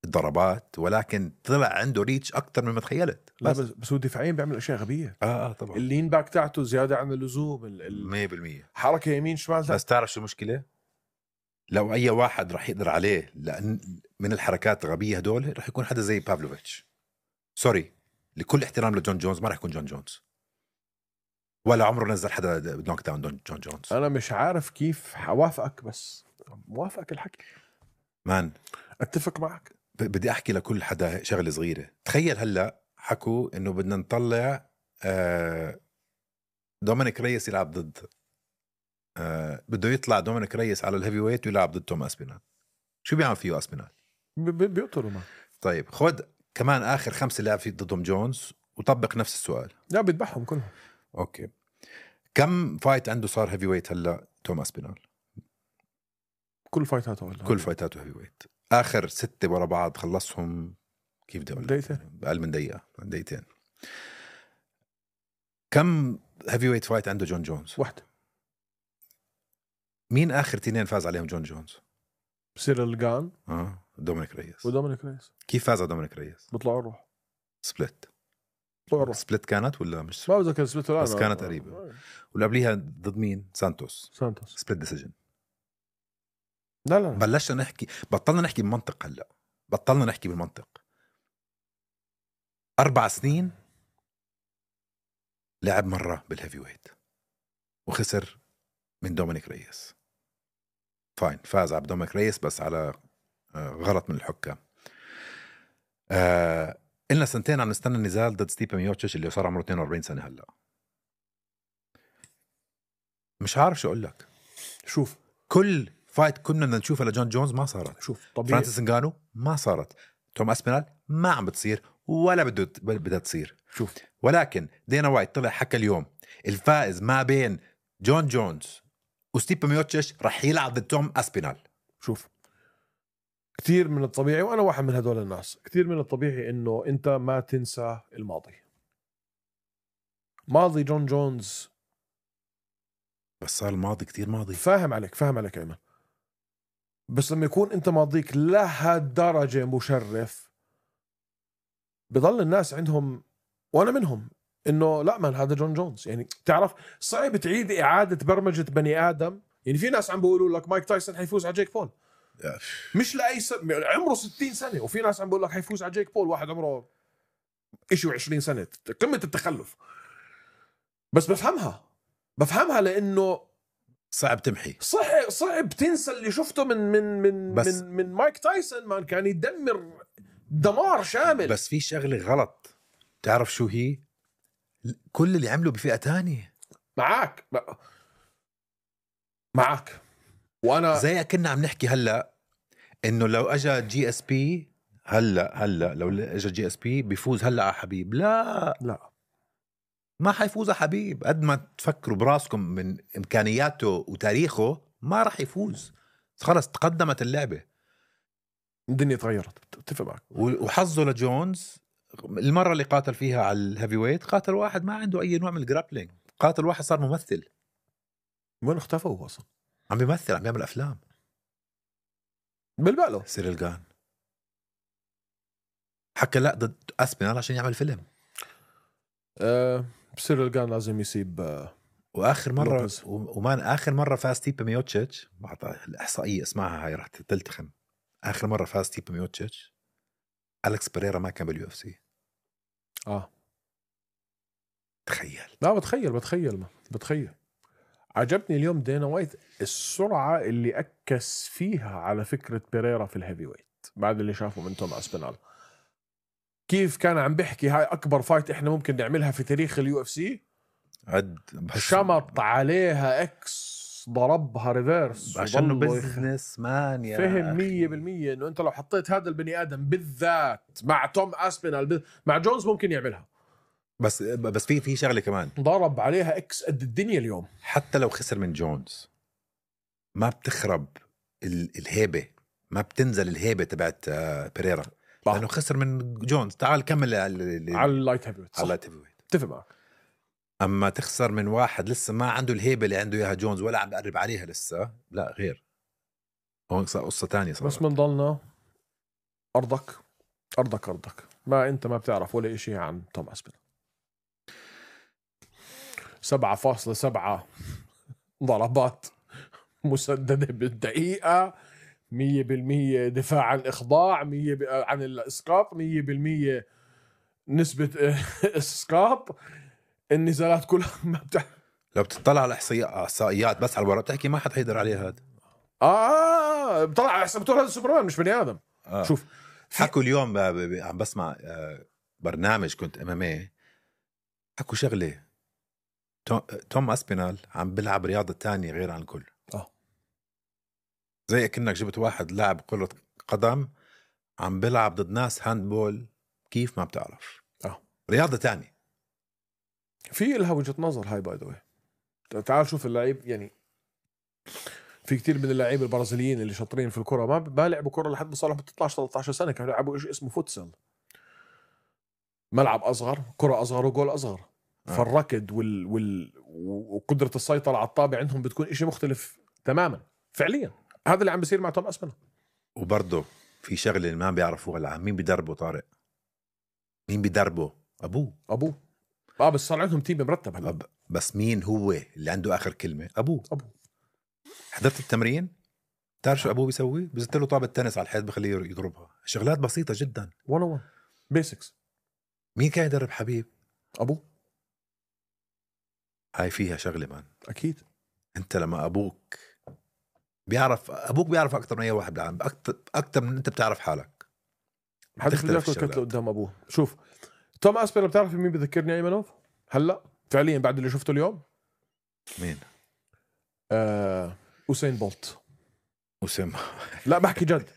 الضربات ولكن طلع عنده ريتش اكثر مما تخيلت. لا بس بس هو دفاعيا بيعمل اشياء غبيه. اه اه طبعا اللين باك تاعته زياده عن اللزوم. ال... مية بالمية حركه يمين شمال. بس تعرف شو المشكله؟ لو اي واحد راح يقدر عليه لان من الحركات الغبيه هدول راح يكون حدا زي بافلوفيتش. سوري لكل احترام لجون جونز ما راح يكون جون جونز ولا عمره نزل حدا نوك داون جون جونز. انا مش عارف كيف حوافقك بس موافقك الحكي مان اتفق معك. بدي احكي لكل حدا شغله صغيره. تخيل هلا حكوا انه بدنا نطلع آه دومينيك ريس يلعب ضد آه بده يطلع دومينيك ريس على الهيفي ويت ويلعب ضد توم اسبينال. شو بيعمل فيه اسبينال؟ بيقتلوا ما. طيب خد كمان اخر خمسه لعب فيه ضدهم جونز وطبق نفس السؤال. لا بيذبحهم كلهم. اوكي كم فايت عنده صار هيفي ويت هلا توم اسبينال؟ كل فايتاته ولا كل فايتاته هيفي ويت. اخر ستة ورا بعض خلصهم كيف بدي اقول دقيقتين بأقل من دقيقة دقيقتين. كم هيفي ويت فايت عنده جون جونز؟ واحدة. مين آخر تنين فاز عليهم جون جونز؟ سيريل جان اه دومينيك ريس. ودومينيك ريس كيف فاز على دومينيك ريس؟ بطلعوا الروح. سبلت. بطلعوا الروح. سبلت كانت ولا مش؟ ما بذكر سبلت ولا بس كانت قريبة. ولا قبليها ضد مين؟ سانتوس. سانتوس. سبلت ديسيجن. لا لا بلشنا نحكي بطلنا نحكي بمنطق. هلا بطلنا نحكي بالمنطق. أربع سنين لعب مرة بالهيفي ويت وخسر من دومينيك ريس. فاين فاز على دومينيك ريس بس على غلط من الحكام. آه إلنا سنتين عم نستنى النزال ضد ستيبن ميوتشيش اللي صار عمره اثنين وأربعين سنة. هلا مش عارف شو أقول لك. شوف كل فايت كنا بدنا نشوفها لجون جونز ما صارت. شوف طبيعي. فرانسيس انغانو ما صارت. توم اسبينال ما عم بتصير ولا بده بدها تصير. شوف ولكن دينا وايت طلع حكى اليوم الفائز ما بين جون جونز وستيبن ميوتشيش رح يلعب ضد توم اسبينال. شوف كثير من الطبيعي وانا واحد من هدول الناس كثير من الطبيعي انه انت ما تنسى الماضي. ماضي جون جونز بس صار الماضي كتير ماضي. فاهم عليك فاهم عليك ايمن. بس لما يكون انت ماضيك لهالدرجة مشرف بضل الناس عندهم وانا منهم انه لا من هذا جون جونز. يعني تعرف صعب تعيد اعادة برمجة بني ادم. يعني في ناس عم بيقولوا لك مايك تايسون حيفوز على جيك بول مش لاي سبب عمره ستين سنة. وفي ناس عم بيقول لك حيفوز على جيك بول واحد عمره إشي وعشرين سنة قمة التخلف. بس بفهمها بفهمها لانه صعب تمحي. صعب صعب تنسى اللي شفته من من من بس من, من مايك تايسون. ما كان يدمر دمار شامل. بس في شغله غلط، تعرف شو هي؟ كل اللي عملوا بفئه تانية. معك معك وانا زي كنا عم نحكي هلا انه لو اجى جي اس بي هلا هلا لو اجى جي اس بي بيفوز هلا على حبيب. لا لا ما حيفوز على حبيب. قد ما تفكروا براسكم من امكانياته وتاريخه ما راح يفوز. خلص تقدمت اللعبه، الدنيا تغيرت. اتفق معك. وحظه لجونز المره اللي قاتل فيها على الهيفي ويت قاتل واحد ما عنده اي نوع من الجرابلينج، قاتل واحد صار ممثل. وين اختفى هو اصلا؟ عم بيمثل، عم بيعمل افلام بالبقله. سيريل جان حكى لا ضد اسبينال عشان يعمل فيلم. أه سيريل جان لازم يسيب. أه واخر مره لوبيز. ومان اخر مره فاز تيبا ميوتشيتش، الاحصائيه اسمعها هاي راح تلتخم. اخر مره فاز تيبا ميوتشيتش أليكس بيريرا ما كان باليو اف سي. اه تخيل. لا بتخيل بتخيل ما بتخيل. عجبني اليوم دينا وايت السرعه اللي اكس فيها على فكره بيريرا في الهيفي ويت بعد اللي شافه من توم اسبينال. كيف كان عم بيحكي هاي اكبر فايت احنا ممكن نعملها في تاريخ اليو اف سي. عد شمط عليها اكس، ضربها ريفيرس عشانه بزنس مان يا فهم مية بالمية انه انت لو حطيت هذا البني ادم بالذات مع توم اسبينال مع جونز ممكن يعملها. بس بس في في شغله كمان، ضرب عليها اكس قد الدنيا اليوم. حتى لو خسر من جونز ما بتخرب الهيبه، ما بتنزل الهيبه تبعت بيريرا لانه خسر من جونز. تعال كمل على على اللايت هيفي ويت. على اللايت هيفي ويت اتفق معك. اما تخسر من واحد لسه ما عنده الهيبه اللي عنده اياها جونز ولا عم بقرب عليها لسه، لا غير هون قصه تانية صارت. بس من ضلنا ارضك ارضك ارضك ما انت ما بتعرف ولا اشي عن توم اسبينال. سبعة فاصلة سبعة ضربات مسددة بالدقيقة، مية بالمية دفاع عن الإخضاع، مية عن الإسقاط، مية بالمية نسبة إسقاط. النزالات كلها ما بتعرف. لو بتطلع على احصائيات بس على الورق بتحكي ما حد هيقدر عليها هذا. اه بطلع على حسب بتقول هذا سوبرمان مش بني ادم. آه. شوف حكوا اليوم عم بسمع برنامج كنت امامي، حكوا شغله توم اسبينال عم بيلعب رياضه تانية غير عن الكل. اه زي كأنك جبت واحد لاعب كرة قدم عم بيلعب ضد ناس هاندبول كيف ما بتعرف. اه رياضه تانية في لها وجهة نظر هاي باي ذا واي. تعال شوف اللعيب، يعني في كتير من اللاعبين البرازيليين اللي شاطرين في الكرة ما ما لعبوا كرة لحد ما صار اثناشر ثلاثة عشر سنة، كانوا يلعبوا شيء اسمه فوتسل، ملعب أصغر، كرة أصغر وجول أصغر. آه. فالركض وال... وال... وقدرة السيطرة على الطابع عندهم بتكون إشي مختلف تماما فعليا. هذا اللي عم بيصير مع توم اسبينال. وبرضه في شغله اللي ما بيعرفوها العالم، مين بيدربه طارق؟ مين بيدربه؟ ابوه. ابوه اه بس صار عندهم تيم مرتب هلا. أب... بس مين هو اللي عنده اخر كلمه؟ ابوه. ابوه. حضرت التمرين؟ تعرف شو ابوه بيسوي؟ بيزت له طابه تنس على الحيط بخليه يضربها. شغلات بسيطه جدا، واحد واحد بيسكس. مين كان يدرب حبيب؟ ابوه. هاي فيها شغله مان. اكيد انت لما ابوك بيعرف، ابوك بيعرف اكثر من اي واحد بالعالم، اكثر اكثر من انت بتعرف حالك. حد بده ياكل كتله قدام ابوه. شوف توم اسبينال بتعرف مين بذكرني ايمنوف هلا فعليا بعد اللي شفته اليوم؟ مين؟ آه... أوسين بولت. أوسين لا بحكي جد.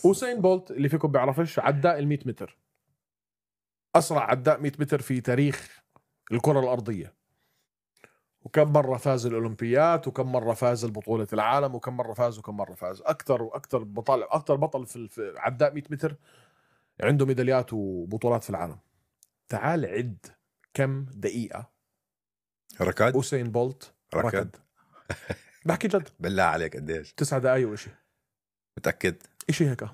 أوسين بولت اللي فيكم بيعرفش عداء المية متر، أسرع عداء مية متر في تاريخ الكرة الأرضية، وكم مرة فاز الأولمبيات، وكم مرة فاز البطولة العالم، وكم مرة فاز وكم مرة فاز. أكتر وأكتر بطل أكتر بطل في عداء مية متر عنده ميداليات وبطولات في العالم. تعال عد كم دقيقة ركض أوسين بولت ركض. بحكي جد بالله عليك قديش؟ تسعة دقايق وإشي. متأكد؟ إشي هيك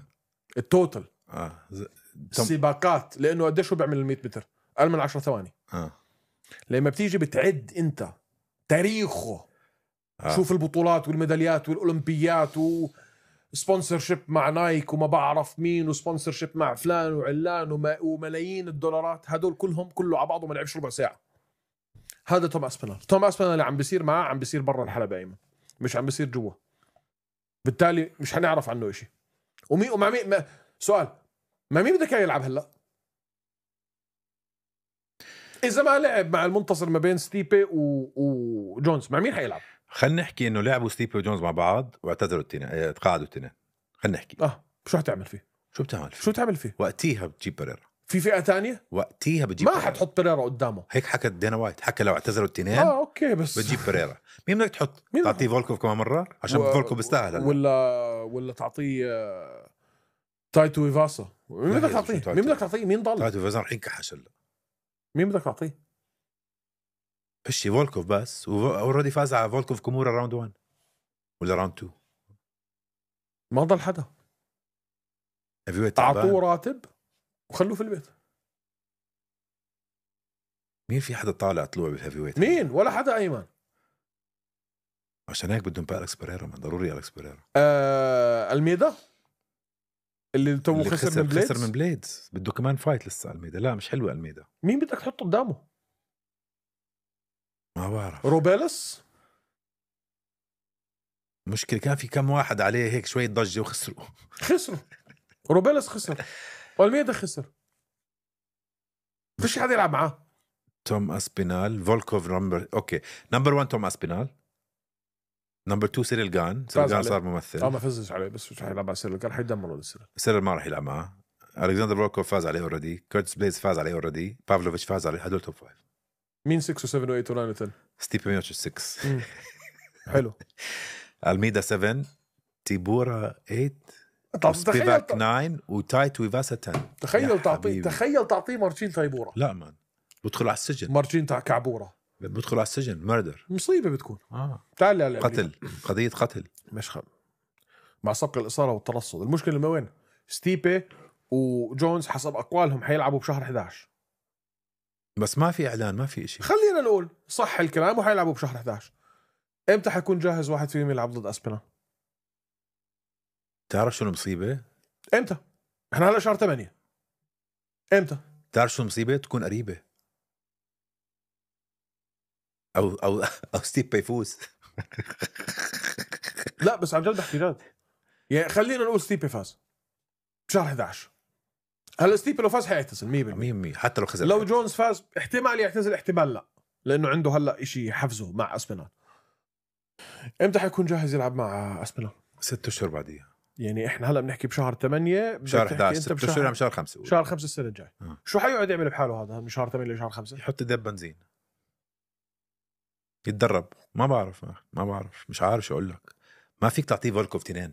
التوتل. آه. ز... سباقات لأنه قديش هو بيعمل المية متر؟ أقل من عشر ثواني. آه. لما بتيجي بتعد أنت تاريخه. آه. شوف البطولات والميداليات والأولمبيات وسبونسرشيب مع نايك وما بعرف مين وسبونسرشيب مع فلان وعلان وما... وملايين الدولارات، هدول كلهم كله على بعضه ما لعبش ربع ساعة. هذا توم اسبينال. توم اسبينال اللي عم بيصير معاه عم بيصير برا الحلبة ايمن، مش عم بيصير جوا، بالتالي مش هنعرف عنه إشي. ومين ومع مين ما... سؤال ما مين بدك يلعب هلا؟ اذا ما لعب مع المنتصر ما بين ستيبي و... وجونز مع مين حيلعب؟ خلينا نحكي انه لعبوا ستيبي وجونز مع بعض واعتذروا التنين، تقاعدوا التنين. خلينا نحكي اه شو حتعمل فيه؟ شو بتعمل فيه؟ شو تعمل فيه؟ وقتيها بتجيب بريرا. في فئه تانية؟ وقتيها بتجيب ما بريرا. حتحط بريرا قدامه. هيك حكت دينا وايت، حكى لو اعتذروا التنين اه اوكي بس بتجيب بريرا. مين بدك تحط؟ مين تعطيه فولكوف كمان مره عشان و... فولكوف بيستاهل هلا. ولا ولا تعطيه آه... تايتو ايفاسا. مين بدك تعطيه؟ مين بدك تعطيه؟ مين ضل؟ تايتو ايفاسا رح ينكحش هلا. مين بدك تعطيه؟ فشي فولكوف بس، واوريدي فاز على فولكوف كومورا راوند واحد ولا راوند اثنين. ما ضل حدا. اعطوه راتب وخلوه في البيت. مين في حدا طالع طلوع بالهيفي ويت؟ مين؟ ولا حدا ايمن. عشان هيك بدهم بالكس بريرا، من ضروري الكس بريرا. آه... الميدا اللي تو خسر, خسر من بليدز. خسر من بليدز بده كمان فايت لسه. الميدا لا مش حلوه الميدا. مين بدك تحطه قدامه؟ ما بعرف. روبيلس. مشكلة كان في كم واحد عليه هيك شوية ضجة وخسروا. خسروا. روبيلس خسر والميدا خسر. فيش حدا يلعب معاه. توم اسبينال. فولكوف نمبر اوكي نمبر واحد توم اسبينال. نمبر اثنين سيريل جان. سيريل جان صار ممثل. اه ما فزش عليه بس مش حيلعب على سيريل جان. حيدمروا للسيريل. سيريل ما راح يلعب معه. الكسندر فولكوف فاز عليه اوريدي. كيرتس بليز فاز عليه اوريدي. بافلوفيتش فاز عليه. هدول توب فايف. مين ستة و7 و8 و9 و10؟ ستيبي ميوتش ستة. حلو. الميدا سبعة. تيبورا ثمانية. تخيل تسعة وتايتو ايفاسا عشرة. تخيل تعطيه تخيل تعطيه مارتشين تايبورا. لا مان بدخل على السجن. مارتشين تاع كعبورة بدخل على السجن. مردر. مصيبة بتكون. اه تعال لا قتل. قضية قتل. مش خم مع سبق الإصابة والترصد. المشكلة ما وين؟ ستيبي وجونز حسب أقوالهم حيلعبوا بشهر إحدى عشر. بس ما في إعلان ما في إشي. خلينا نقول صح الكلام وحيلعبوا بشهر إحدى عشر. إمتى حيكون جاهز واحد فيهم يلعب ضد أسبينا؟ تعرف شو المصيبة؟ إمتى؟ إحنا هلا شهر ثمانية. إمتى؟ تعرف شو المصيبة؟ تكون قريبة. أو أو أو ستيب يفوز. لا بس عن جد بحكي جد. يعني خلينا نقول ستيبي فاز بشهر إحدى عشر. هلا ستيبي لو فاز حيعتزل مية بالمية. حتى لو خسر. لو جونز فاز احتمال يعتزل احتمال لا، لأنه عنده هلا إشي حفزه مع أسبينال. إمتى حيكون جاهز يلعب مع أسبينال؟ ست أشهر بعديها. يعني إحنا هلا بنحكي بشهر ثمانية. شهر إحدى عشر. ست أشهر عم شهر خمسة. شهر خمسة السنة الجاي. آه. شو حيقعد يعمل بحاله هذا من شهر ثمانية لشهر خمسة؟ يحط دب بنزين. يتدرب. ما بعرف ما بعرف مش عارف شو أقول لك. ما فيك تعطيه فولكوف تنين.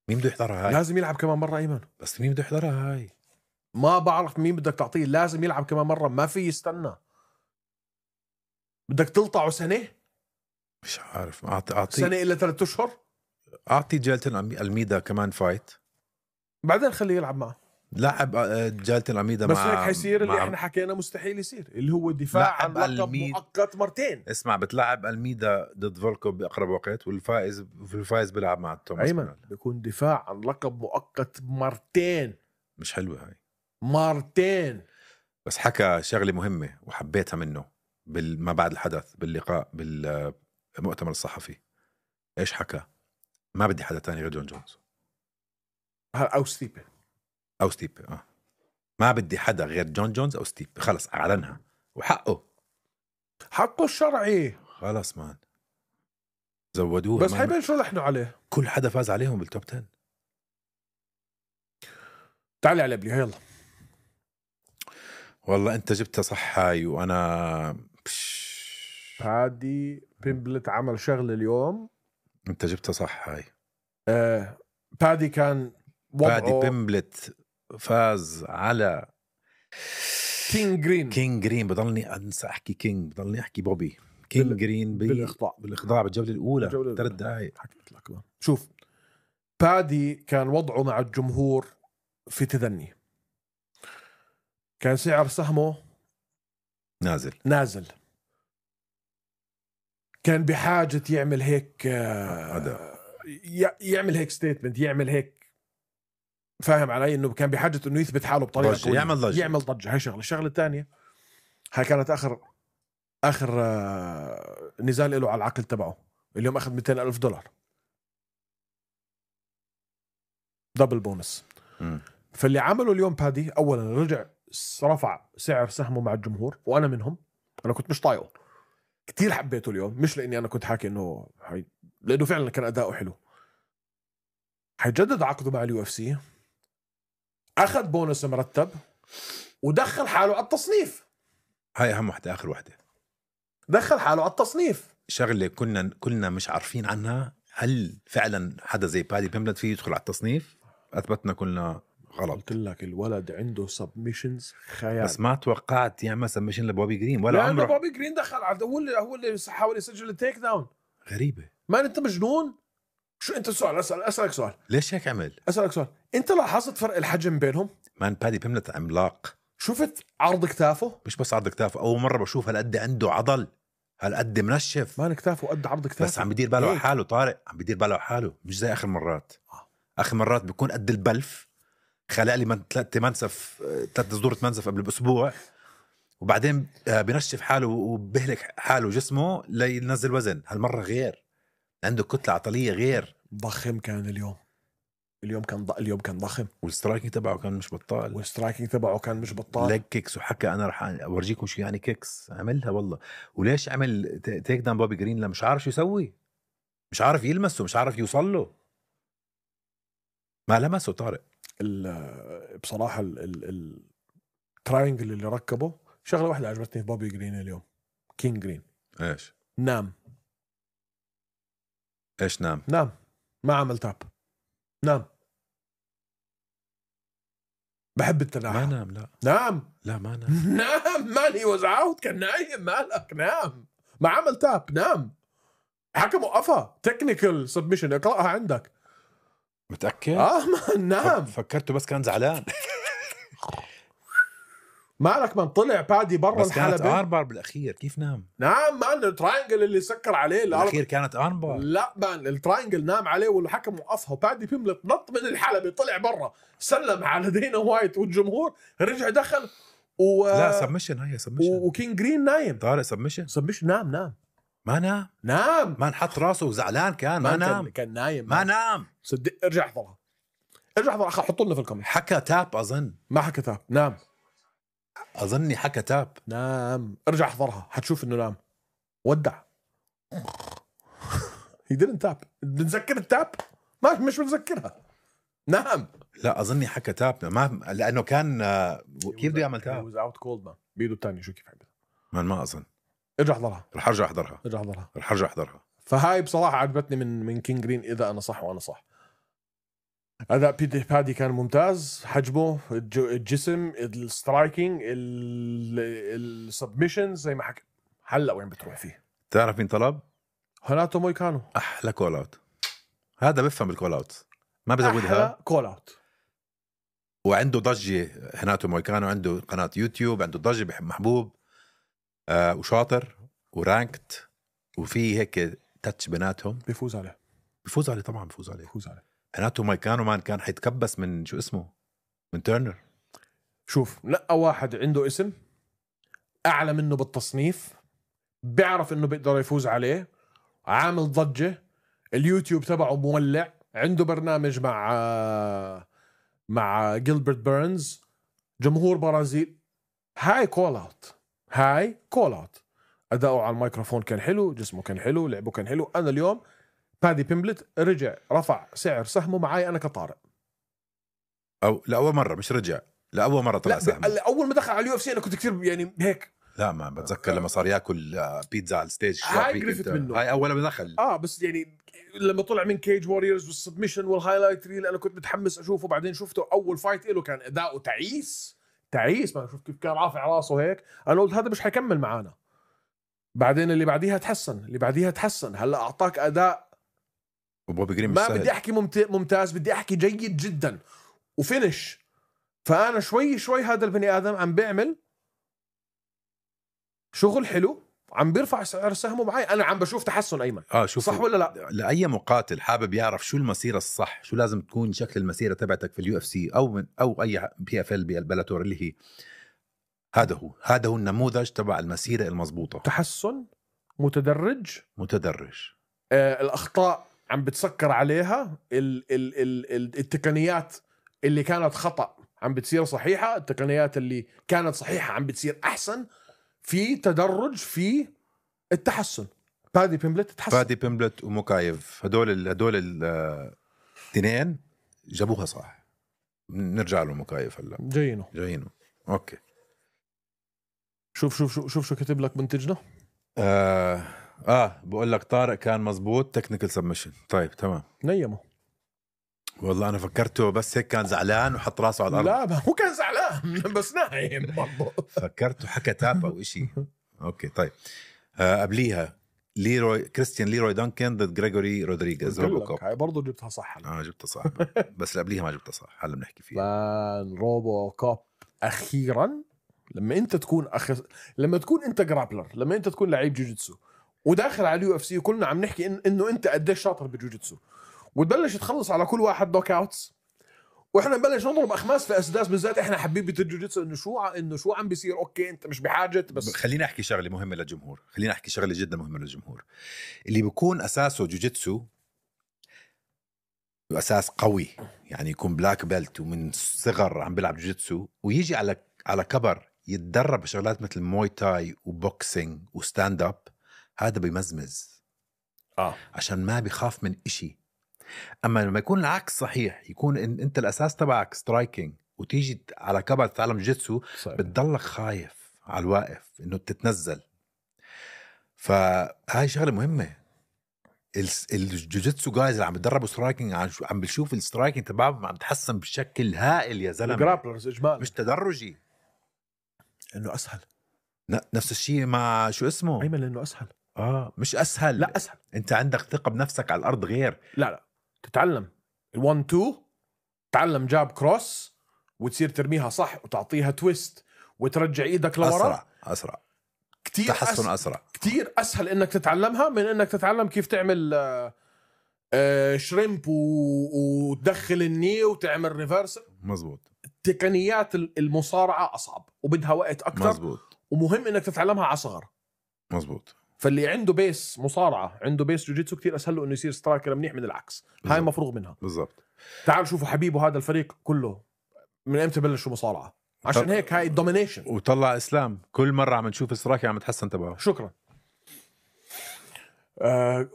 مين بده يحضرها هاي؟ لازم يلعب كمان مرة أيمن. بس مين بده يحضرها هاي؟ ما بعرف مين بدك تعطيه. لازم يلعب كمان مرة. ما في يستنى. بدك تلطعه سنة. مش عارف. أعطي أعطي سنة إلا ثلاثة أشهر. أعطي جالتن الميدا كمان فايت. بعدين خليه يلعب معه. لعب جالتن الميدا بس مع هيك حيصير اللي مع... احنا حكينا مستحيل يصير اللي هو الدفاع عن لقب الميد... مؤقت مرتين. اسمع بتلعب الميدا ضد فولكوف بأقرب وقت والفائز الفائز بيلعب مع توماس. أيمن بيكون دفاع عن لقب مؤقت مرتين. مش حلوة هاي. مرتين. بس حكى شغلة مهمة وحبيتها منه بال... ما بعد الحدث باللقاء بالمؤتمر الصحفي. ايش حكى؟ ما بدي حدا تاني غير جون جونز او ستيبي او ستيبي. اه ما بدي حدا غير جون جونز او ستيبي. خلص اعلنها وحقه. حقه الشرعي. خلص مان زودوه. بس حيبين شو لحنوا عليه. كل حدا فاز عليهم بالتوب عشرة. تعالي على بلي يلا. والله انت جبتها صح هاي. وانا بادي بيمبلت عمل شغل اليوم. انت جبتها صح هاي. آه بادي كان وضعه. بادي بيمبلت فاز على كينج جرين. كينج جرين. بضلني انسى احكي كينج. بضلني احكي بوبي. كينج بال... جرين بي... بالاخضاع بالاخضاع بالجوله الاولى ثلاث دقائق. حكيت لك بقى. شوف بادي كان وضعه مع الجمهور في تدني. كان سعر سهمه نازل نازل. كان بحاجة يعمل هيك آه يعمل هيك ستيتمنت. يعمل هيك فاهم علي انه كان بحاجة انه يثبت حاله بطريقة قوية. يعمل ضجة. يعمل ضجة. هاي شغلة. الشغلة الثانية هاي كانت اخر اخر آه نزال له على العقل تبعه. اليوم اخذ مئتين ألف دولار دبل بونس. م. فاللي عمله اليوم بادي اولا رجع رفع سعر سهمه مع الجمهور، وانا منهم. انا كنت مش طايقه كتير، حبيته اليوم مش لاني انا كنت حاكي انه حي... لانه فعلا كان اداؤه حلو. حيجدد عقده مع اليو اف سي، اخذ بونص مرتب ودخل حاله على التصنيف. هاي اهم وحده، اخر وحده دخل حاله على التصنيف. شغله كنا كلنا مش عارفين عنها، هل فعلا حدا زي بادي بيمبلت فيه يدخل على التصنيف؟ اثبتنا كلنا غلط. قلت لك الولد عنده سبمشنز خيال، بس ما توقعت يعمل سبمشن لبوبي جرين ولا عمره. عمره. بوبي جرين دخل على هو اللي هو اللي حاول يسجل التيك داون. غريبه. ما انت مجنون؟ شو انت سؤال اسال اسالك سؤال ليش هيك عمل؟ اسالك سؤال انت لاحظت فرق الحجم بينهم؟ مان بادي بيمبلت عملاق. شفت عرض كتافه؟ مش بس عرض كتافه، اول مره بشوف هالقد عنده عضل، هالقد منشف. مان كتافه قد عرض كتافه، بس عم بدير باله على حاله. طارق عم بدير باله على حاله، مش زي اخر مرات. اخر مرات بيكون قد البلف، خلق لي من ثلاثة منسف ثلاث صدورة منسف قبل بأسبوع، وبعدين بنشف حاله وبهلك حاله جسمه لينزل وزن. هالمرة غير، عنده كتلة عضلية غير. ضخم كان اليوم. اليوم كان ض... اليوم كان ضخم، والسترايكينج تبعه كان مش بطال. والسترايكينج تبعه كان مش بطال. ليج كيكس، وحكى انا رح اورجيكم شو يعني كيكس. عملها والله. وليش عمل تيك داون بوبي جرين؟ مش عارف شو يسوي، مش عارف يلمسه، مش عارف يوصل له. ما لمسه طارق. بصراحة التراينجل اللي ركبه، شغلة واحدة عجبتني في بوبي جرين اليوم، كينج جرين. ايش؟ نام. ايش نام؟ نام، ما عمل تاب، نام. بحب التناحة. ما نام. لا نام. لا ما نام. نام مان، هي واز اوت، كان نايم. مالك؟ نام، ما عمل تاب، نام. حكم وقفها، تكنيكال سبمشن، اقرأها عندك. متأكد؟ اه مان نام. فكرته بس كان زعلان. مالك من طلع بادي برا بس كانت الحلبة. اربار بالاخير، كيف نام؟ نام مان، التراينجل اللي سكر عليه بالاخير كانت اربار. لا مان، التراينجل نام عليه والحكم وقفها، وبادي بيملت نط من الحلبة، طلع برا، سلم على دينا وايت والجمهور، رجع دخل و لا سبمشن، هي سبمشن. وكين جرين نايم. طارق سبمشن سبمشن. نام نام ما نام نام ما نحط راسه وزعلان كان. ما, ما نام كان, كان نايم. ما نام. صدق. ارجع احضرها، ارجع احضرها، حطوا لنا في الكومنت. حكى تاب اظن. ما حكى تاب. نام. اظني حكى تاب. نام. ارجع احضرها حتشوف انه نام. ودع. هي didn't تاب. بنذكر التاب؟ ما مش بنذكرها. نام. لا اظني حكى تاب، ما لانه كان كيف بده يعمل تاب؟ was out cold man. بيده الثاني شو كيف حبيت. ما ما اظن. ارجع احضرها. رح ارجع احضرها. ارجع احضرها. رح ارجع احضرها. فهاي بصراحه عجبتني من من كينج جرين، اذا انا صح وانا صح. اداء بيدي بادي كان ممتاز، حجمه، الجسم، السترايكينج، السبمشن زي ما حكى. هلا وين بتروح فيه؟ تعرف مين طلب؟ هناتو مويكانو. احلى كول اوت. هذا بفهم بالكول اوت، ما بزودها. كول اوت. وعنده ضجه. هناتو مويكانو عنده قناه يوتيوب، عنده ضجه، بحب محبوب آه وشاطر ورانكت، وفي هيك تاتش بيناتهم. بيفوز عليه. بيفوز عليه طبعا، بيفوز عليه. بيفوز عليه. هناتو مويكانو مان كان حيتكبس من شو اسمه، من تيرنر. شوف، لقى واحد عنده اسم اعلى منه بالتصنيف، بيعرف انه بيقدر يفوز عليه، عامل ضجه، اليوتيوب تبعه مولع، عنده برنامج مع مع جيلبرت بيرنز، جمهور برازيل. هاي كول اوت. هاي كول اوت. اداؤه على الميكروفون كان حلو، جسمه كان حلو، لعبه كان حلو. انا اليوم بادي بيمبلت رجع رفع سعر سهمه معي انا كطارق. او لاول مره، مش رجع، لاول مره طلع سهم. لا، اول ما دخل على اليو اف سي انا كنت كثير يعني هيك. لا ما بتذكر لما صار ياكل بيتزا على الستيج. هاي قرفت منه. هاي اول ما دخل. اه بس يعني لما طلع من كيج ووريرز والسبمشن والهايلايت ريل، انا كنت متحمس اشوفه. بعدين شفته اول فايت له كان اداؤه تعيس تعيس. ما شوف كيف كان رافع راسه هيك، انا قلت هذا مش حيكمل معانا. بعدين اللي بعديها تحسن، اللي بعديها تحسن، هلا اعطاك اداء. وبوبي جرين ما بدي احكي ممتاز، بدي احكي جيد جدا وفينش. فانا شوي شوي هذا البني ادم عم بيعمل شغل حلو، عم بيرفع سعر سهمه معي. انا عم بشوف تحسن. ايمن اه شوف، صح ولا لا؟ لاي مقاتل حابب يعرف شو المسيره الصح، شو لازم تكون شكل المسيره تبعتك في اليو اف سي او من او اي بي اف ال بالبلاتور، اللي هي هذا هو هذا هو النموذج تبع المسيره المضبوطه. تحسن متدرج متدرج. آه الاخطاء عم بتسكر عليها، ال ال ال ال التقنيات اللي كانت خطأ عم بتصير صحيحة، التقنيات اللي كانت صحيحة عم بتصير أحسن، في تدرج في التحسن. بادي بيمبلت تحسن، بادي بيمبلت وموكايف هدول ال هدول الاثنين جابوها صح. نرجع له مكايف هلا جايينه جايينه اوكي. شوف شوف شوف شوف شو كتب لك منتجنا. آه, اه بقول لك طارق كان مزبوط تكنيكال سبمشن. طيب تمام نيمه. والله انا فكرته بس هيك كان زعلان وحط راسه على الارض. لا هو كان زعلان بس نايم برضه. فكرته حكى تابا وإشي. اوكي طيب آه قبليها ليروي كريستيان ليروي دانكن ضد غريغوري رودريغيز روبو كوب. هاي برضه جبتها صح. اه جبتها صح بس اللي قبليها ما جبتها صح. هلا بنحكي فيها. فان روبو كوب اخيرا. لما انت تكون أخ... لما تكون انت جرابلر، لما انت تكون لعيب جوجيتسو وداخل على اليو اف سي وكلنا عم نحكي إن... انه انت قديش شاطر بجوجيتسو، وتبلش تخلص على كل واحد نوك اوتس، واحنا نبلش نضرب اخماس في اسداس، بالذات احنا حبيبه الجوجيتسو، انه شو ع... انه شو عم بيصير. اوكي انت مش بحاجه بس. خليني احكي شغله مهمه للجمهور. خليني احكي شغله جدا مهمه للجمهور. اللي بيكون اساسه جوجيتسو واساس قوي، يعني يكون بلاك بيلت ومن صغر عم بيلعب جوجيتسو ويجي على على كبر يتدرب بشغلات مثل موي تاي وبوكسينج وستاند اب، هذا بيمزمز اه عشان ما بيخاف من إشي. اما لما يكون العكس صحيح، يكون إن انت الاساس تبعك سترايكينج وتيجي على كبر تتعلم جوجيتسو، بتضلك خايف على الواقف انه تتنزل. فهاي شغله مهمه. الجوجيتسو جايز اللي عم بتدربوا سترايكينج عم بشوف السترايكينج تبعهم عم تحسن بشكل هائل يا زلمه. الجرابلرز اجمالا مش تدرجي، انه اسهل. نفس الشيء مع شو اسمه ايمن، انه اسهل. اه مش اسهل، لا اسهل. انت عندك ثقه بنفسك على الارض غير. لا لا تتعلم الوان تو، تعلم جاب كروس وتصير ترميها صح وتعطيها تويست وترجع ايدك لورا. اسرع اسرع كتير تحسن أسهل. اسرع كتير اسهل انك تتعلمها من انك تتعلم كيف تعمل آه آه شريمب و... وتدخل الني وتعمل ريفرس. مزبوط. تقنيات المصارعه اصعب وبدها وقت اكثر. مزبوط. ومهم انك تتعلمها على صغر. مزبوط. فاللي عنده بيس مصارعه عنده بيس جوجيتسو كتير اسهل له انه يصير سترايكر منيح من العكس. بالزبط. هاي مفروغ منها. بالضبط. تعال شوفوا حبيبه هذا الفريق كله من امتى بلشوا مصارعه، عشان طب... هيك هاي الدومينيشن. وطلع اسلام كل مره عم نشوف سترايكر عم يتحسن تبعه. شكرا. آه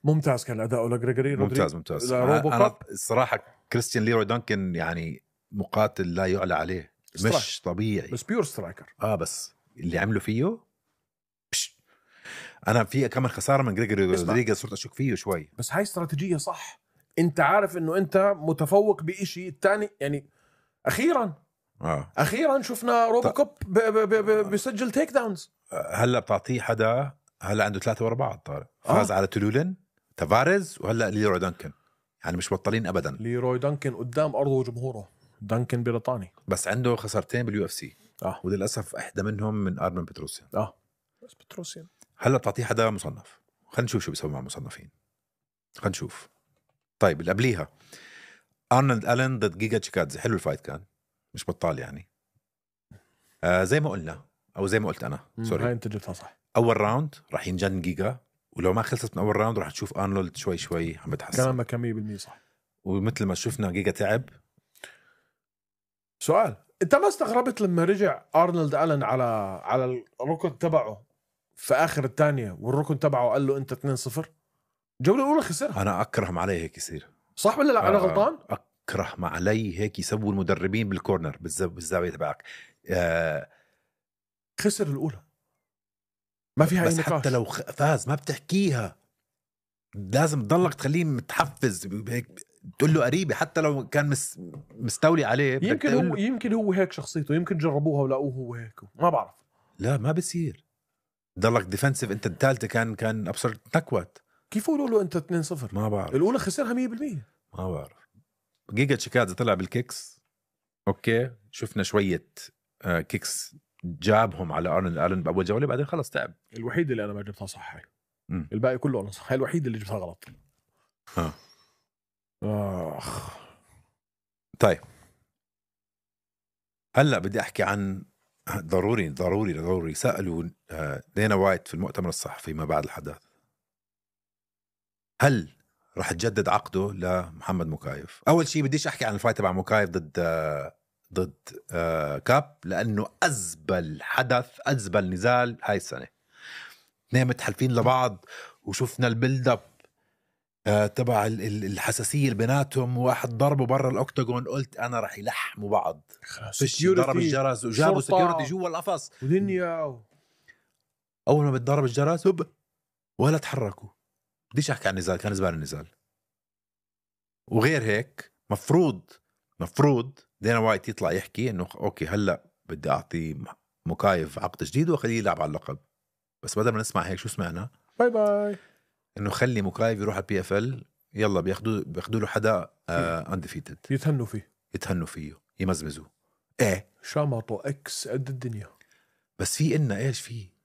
ممتاز كان اداؤه لغريغوري. ممتاز ممتاز. انا الصراحه كريستيان ليروي دانكن يعني مقاتل لا يعلى عليه. سترايك. مش طبيعي بس بيور سترايكر. اه بس اللي عمله فيه بش. انا في كمان خساره من غريغوري رودريغيز صرت اشك فيه شوي. بس هاي استراتيجيه صح. انت عارف انه انت متفوق بشيء الثاني يعني. اخيرا اه اخيرا شفنا روبو كوب ب... ب... ب... بيسجل تيك داونز. هلا بتعطيه حدا هلا عنده ثلاثه ورا بعض. طارق فاز آه. على تولولين تافاريز وهلا ليروي دانكن، يعني مش بطلين ابدا. ليروي دانكن قدام ارضه وجمهوره. دانكن بريطاني بس عنده خسارتين باليو اف سي اه وللاسف احدى منهم من ارمن بتروسيان. اه بس بتروسيان هلا بتعطيه حدا مصنف. خلينا نشوف شو بيسوي مع المصنفين. خلينا نشوف. طيب اللي قبليها ارنولد ألين ضد جيجا تشيكادزي. حلو الفايت كان، مش بطال يعني. آه زي ما قلنا او زي ما قلت انا سوري، هاي انت جبتها صح. اول راوند راح ينجن جيجا، ولو ما خلصت من اول راوند راح تشوف ارنولد شوي شوي عم بتحسن. كلامك مية بالمية صح. ومثل ما شفنا جيجا تعب. سؤال، انت ما استغربت لما رجع ارنولد ألين على على الركن تبعه في اخر الثانيه والركن تبعه قال له انت اثنين صفر؟ الجوله الاولى خسرها. انا اكره ما عليه هيك يصير. صح ولا لا؟ آه انا غلطان. اكره ما علي هيك يسووا المدربين بالكورنر بالزاويه تبعك. آه خسر الاولى ما فيها بس اي نقاش. حتى لو فاز ما بتحكيها، لازم تضلك تخليه متحفز هيك، تقول له قريبه حتى لو كان مس مستولي عليه. يمكن هو يمكن هو هيك شخصيته، يمكن جربوها ولقوه هو هيك، ما بعرف. لا ما بصير ضلك ديفنسيف. انت الثالثه كان كان ابصر تكوت. كيف يقولوا له انت اثنين صفر؟ ما بعرف. الاولى خسرها مية بالمية. ما بعرف. جيجا تشيكادزي طلع بالكيكس. اوكي شفنا شويه آه كيكس جابهم على ارنولد ألين باول جوله، بعدين خلص تعب. الوحيد اللي انا ما جبتها صح هاي. م. الباقي كله انا صح. هاي الوحيد اللي جبتها غلط. ها اخ. طيب هلا بدي احكي عن ضروري ضروري ضروري سالوا دينا وايت في المؤتمر الصحفي ما بعد الحدث، هل راح تجدد عقده لمحمد موكايف؟ اول شيء بديش احكي عن الفايت تبع موكايف ضد ضد آه كاب لأنه أزبل حدث أزبل نزال هاي السنة. اثنين متحلفين لبعض وشفنا البيلد اب آه تبع الحساسية اللي بيناتهم، واحد ضربه برا الأوكتاغون قلت أنا رح يلحموا بعض. فيش ضرب الجرس وجابوا سكيورتي جوا القفص ودنيا. أول ما بتضرب الجرس هب ولا تحركوا. بديش أحكي عن النزال، كان زبال النزال. وغير هيك مفروض مفروض دينا وايت يطلع يحكي إنه أوكي هلأ بدي أعطي مكايف عقد جديد وخليه يلعب على اللقب. بس بدل ما نسمع هيك شو سمعنا؟ باي باي إنه خلي مكايف يروح على بي اف ال، يلا بياخدوا بياخدوا له حدا انديفيتد يتهنوا فيه يتهنوا فيه يمزمزوا. ايه شامطوا اكس قد الدنيا. بس في إلنا ايش فيه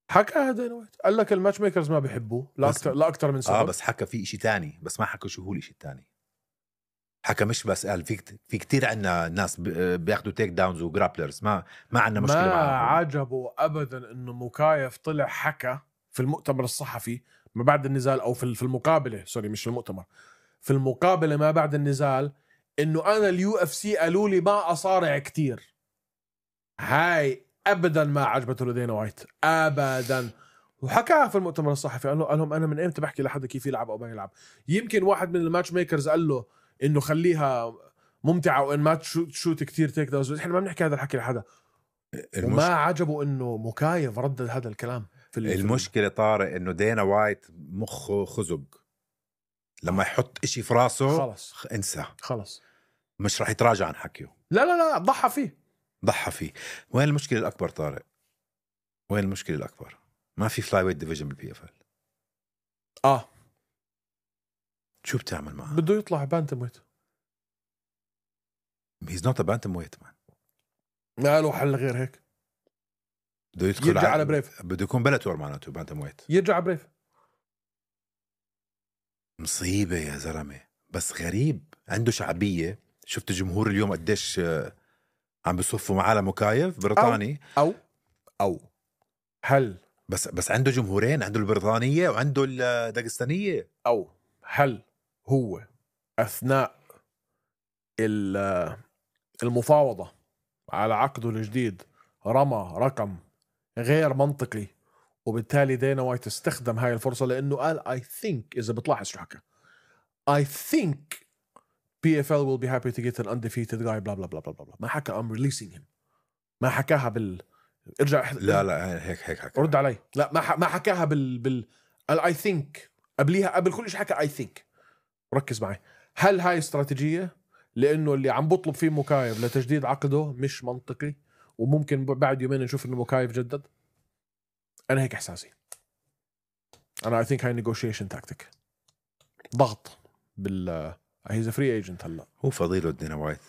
حكى هذا نويت قال لك الماتش ميكرز ما بيحبوه لا اكثر لا اكثر من سبب. اه بس حكى في إشي تاني، بس ما حكى شو هو الإشي التاني. حكى مش بس قال في في كتير عنا ناس بياخدوا تيك داونز وجرابلرز، ما ما عنا مشكله ما معهم. عجبه ابدا انه مكايف طلع حكى في المؤتمر الصحفي ما بعد النزال، او في في المقابله سوري مش في المؤتمر، في المقابله ما بعد النزال، انه انا اليو اف سي قالوا لي ما اصارع كتير. هاي ابدا ما عجبته لدينا وايت ابدا، وحكاها في المؤتمر الصحفي. قال له قال لهم انا من امتى بحكي لحد كيف يلعب او ما يلعب. يمكن واحد من الماتش ميكرز قال له انه خليها ممتعه وان ما تشوت شوت كتير تيك داونز. احنا ما بنحكي هذا الحكي لحدا. المش... وما عجبه انه مكايف ردد هذا الكلام في المشكله طارق انه دينا وايت مخه خزق، لما يحط اشي في راسه خلص انسى خلص مش راح يتراجع عن حكيه. لا لا لا ضحى فيه ضحى فيه. وين المشكله الاكبر طارق؟ وين المشكله الاكبر؟ ما في فلاي ويت ديفيجن بالبي اف ال. اه شو بتعمل معه؟ بده يطلع بانتم ويت. هيز نوت ا بانتم ويت مان. ما له حل غير هيك. بده يدخل يرجع على بريف. بده يكون بلاتور معناته بانتم ويت. يرجع على بريف. مصيبه يا زلمه. بس غريب عنده شعبيه. شفت الجمهور اليوم قديش عم بيصفوا معاه لمكايف بريطاني أو, او او هل بس بس عنده جمهورين، عنده البريطانيه وعنده الداغستانيه. او هل هو اثناء المفاوضه على عقده الجديد رمى رقم غير منطقي، وبالتالي دينا وايت استخدم هاي الفرصه لانه قال I think اذا بتلاحظ شو حكى I think بي إف إل will be happy to get an undefeated guy بلا بلا بلا بلا بلا. ما حكى I'm releasing him. ما حكاها بال ارجع لا لا هيك هيك حكى. رد علي. لا ما ح... ما حكاها بال بال I think قبليها قبل كل شيء حكى I think. ركز معي. هل هاي استراتيجية لأنه اللي عم بطلب فيه مكايف لتجديد عقده مش منطقي وممكن بعد يومين نشوف إنه مكايف جدد؟ أنا هيك إحساسي. أنا I think هاي negotiation tactic. ضغط بال هيز فري ايجنت. هلا هو فضيله دينا وايت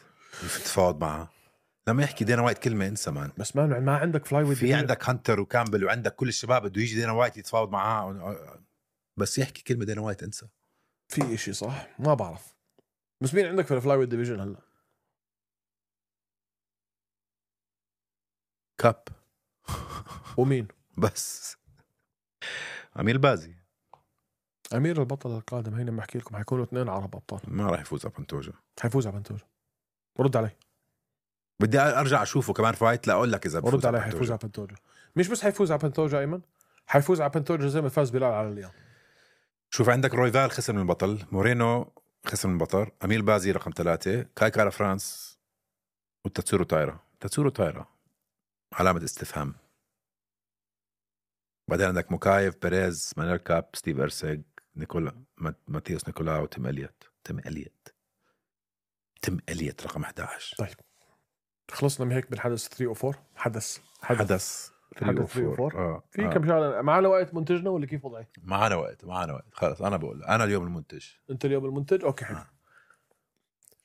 يتفاوض معه. لما يحكي دينا وايت كلمه انسى مان. بس ما ما عندك فلاي ويت. في عندك هانتر وكامبل وعندك كل الشباب بده يجي دينا وايت يتفاوض معاه، بس يحكي كلمه دينا وايت انسى. في اشي صح ما بعرف. بس مين عندك في الفلاي ويت ديفيجن هلا؟ كاب ومين؟ بس أمير البازي. أمير البطل القادم هينا بحكي لكم حيكونوا اثنين عرب أبطال. ما راح يفوز على بنتوجا. حيفوز على بنتوجا. رد علي. بدي أرجع أشوفه كمان فايت لا أقول لك إذا رد علي. حيفوز على بنتوجا. مش بس حيفوز على بنتوجا أيمن، حيفوز على بنتوجا زي ما فاز بلال على اليوم. شوف عندك رويفال خسر من البطل، مورينو خسر من البطل، أمير البازي رقم ثلاثة، كاي كارا فرانس وتاتسورو تايرا. تاتسورو تايرا علامة استفهام. بعدين عندك مكايف، بيريز، مانيل كاب، ستيف إرسيغ، نيكولا ماتيوس نيكولاو، تيم إليوت. تيم إليوت تيم إليوت رقم إحدى عشر. طيب خلصنا من هيك بالحدث ثلاثة أو أربعة. حدث حدث, حدث ثلاثة أو أربعة. آه. في آه. كم شغله. معنا وقت منتجنا ولا كيف وضعي؟ معنا وقت معنا وقت خلاص. أنا بقول أنا اليوم المنتج. أنت اليوم المنتج. أوكي حلو. آه.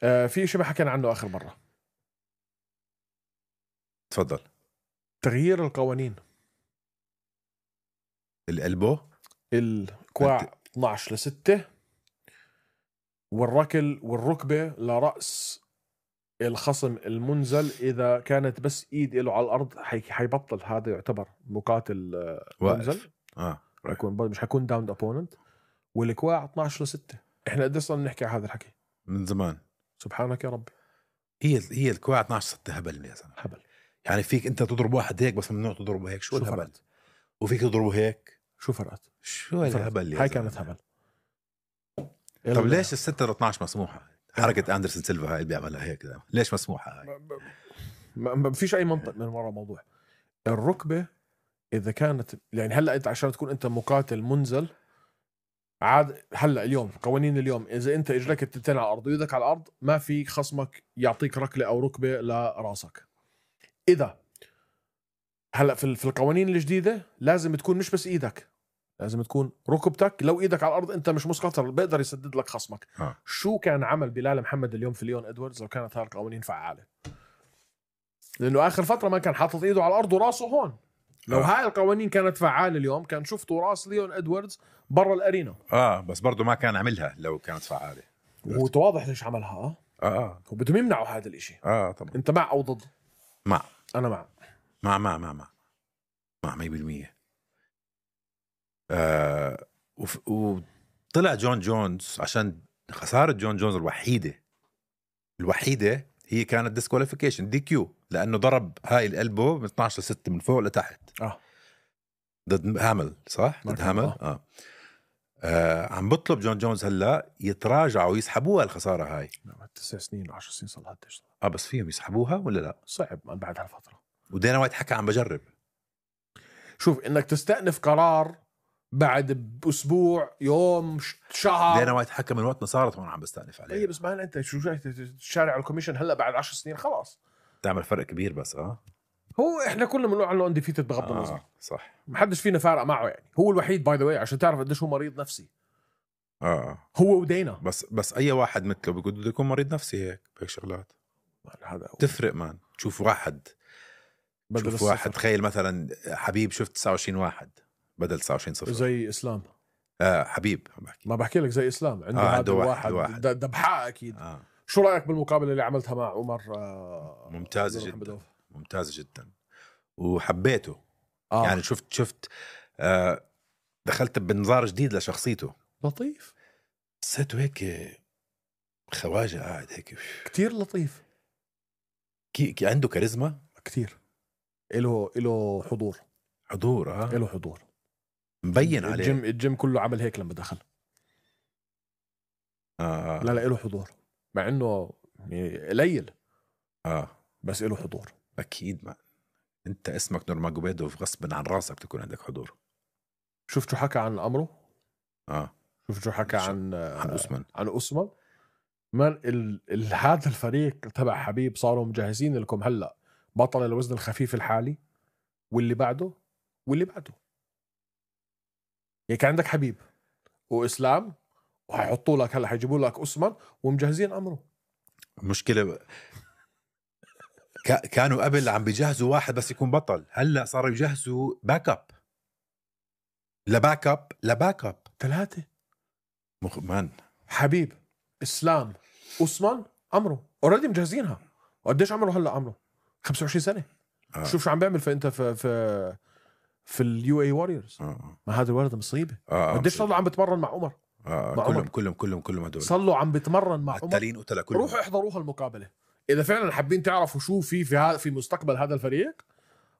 آه في شيء ما حكينا عنه آخر مرة. تفضل. تغيير القوانين. القلبو الكواع اثنا عشر لستة والركل والركبة لرأس الخصم المنزل إذا كانت بس إيد له على الأرض حي... حيبطل هذا يعتبر مقاتل منزل. آه. حيكون مش حيكون داوند أوبوننت. والكواع اثنا عشر لستة. إحنا قد صرنا نحكي على هذا الحكي من زمان. سبحانك يا ربي. هي هي الكوع اثناشر ستة هبل يا زلمه، هبل. يعني فيك انت تضرب واحد هيك بس ممنوع تضربه هيك، شو, شو الهبل؟ فرقت؟ وفيك تضربه هيك، شو فرقت؟ شو الهبل يا هاي زلمة؟ كانت هبل. طب ليش الستة اثناشر مسموحه؟ حركه اندرسون سيلفا هاي اللي بيعملها هيك ده. ليش مسموحه هاي؟ ما, ما فيش اي منطق من وراء الموضوع. الركبه اذا كانت يعني هلا انت عشان تكون انت مقاتل منزل عاد هلا اليوم قوانين اليوم اذا انت اجرك التنتين على الارض ويدك على الارض ما في خصمك يعطيك ركله او ركبه لراسك. اذا هلا في في القوانين الجديده لازم تكون مش بس ايدك، لازم تكون ركبتك. لو ايدك على الارض انت مش مسقط بيقدر يسدد لك خصمك. آه. شو كان عمل بلال محمد اليوم في ليون ادواردز لو كانت هاي القوانين فعاله؟ لانه اخر فتره ما كان حاطط ايده على الارض وراسه هون. لو آه. هاي القوانين كانت فعاله اليوم كان شفتوا راس ليون ادواردز برا الارينا. اه بس برضه ما كان عملها لو كانت فعاله. وهو واضح ليش عملها. اه اه هو بدهم يمنعوا هذا الاشي. اه طبعا. انت مع او ضد؟ مع انا مع مع مع مع مع مع مية بالمية. آه وف... وطلع جون جونز عشان خسارة جون جونز الوحيدة الوحيدة هي كانت ديسكواليفيكيشن دي كيو، لأنه ضرب هاي القلبه من اثناشر ستة من فوق لتحت. اه ضد هامل صح؟ ضد هامل. آه. آه. آه عم بطلب جون جونز هلا يتراجعوا ويسحبوها الخسارة هاي. تسع سنين عشر سنين صار لها تشتغل. اه بس فيهم يسحبوها ولا لا؟ صعب من بعد هالفترة. ودينا وايت حكى عم بجرب. شوف انك تستأنف قرار بعد باسبوع يوم شهر. دينا وايت حكى من وقت ما صارت وانا عم بستأنف عليه. اي بس ما انت شو جاي تشارع الكوميشن هلا بعد عشر سنين خلاص تعمل فرق كبير بس اه هو احنا كلنا بنقول عنه انديفيتد بغض النظر. آه صح. ما حدش فينا فارق معه يعني. هو الوحيد باي ذا واي عشان تعرف قديش هو مريض نفسي. اه هو ودينا. بس بس اي واحد مثله بده يكون مريض نفسي هيك بهيك شغلات هذا تفرق مان. تشوف واحد بدل شوف واحد تخيل مثلا حبيب شفت تسعة وعشرين واحد بدل تسعة وعشرين صفر زي اسلام. آه حبيب عم بحكي. ما بحكي لك زي اسلام عنده آه هذا عنده واحد, واحد. واحد. دبحاء اكيد. آه. شو رايك بالمقابله اللي عملتها مع عمر؟ آه ممتازه جدا ممتازه جدا وحبيته. آه. يعني شفت شفت آه دخلت بنظار جديد لشخصيته. لطيف حسيته هيك خواجه قاعد هيك كتير لطيف. كي, كي عنده كاريزما كتير. إله إله حضور حضور اه إله حضور مبين عليه. الجيم الجيم كله عمل هيك لما دخل. آه. لا لا إله حضور مع إنه قليل اه بس إله حضور اكيد. ما انت اسمك نورماجوميدوف غصبا عن راسك تكون عندك حضور. شفت شو حكى عن أمره؟ اه شفت شو حكى شو. عن عن أسمن عن أسمن من ال... ال... هذا الفريق تبع حبيب صاروا مجهزين لكم هلا بطل الوزن الخفيف الحالي واللي بعده واللي بعده. يعني كان عندك حبيب وإسلام وحيحطوا لك هلا حيجيبوا لك أسمن ومجهزين أمره. مشكلة ك... كانوا قبل عم بيجهزوا واحد بس يكون بطل، هلا صاروا يجهزوا باك اب لباك اب لباك اب ثلاثة مخ... مان حبيب إسلام أسمن أمره اوريدي مجهزينها. وقديش عمره هلا؟ عمره خمسة وعشرين سنة. آه. شوف شو عم بيعمل في انت في في في اليو اي واريورز. آه. ما هذا الولد مصيبة. آه. قديش صار له عم بتمرن مع عمر؟ آه. مع كلهم عمر. كلهم كلهم كلهم هدول صار له عم بتمرن مع عمر. التالين قتلة كلهم. روحوا احضروها المقابلة إذا فعلا حابين تعرفوا شو في في ها في مستقبل هذا الفريق.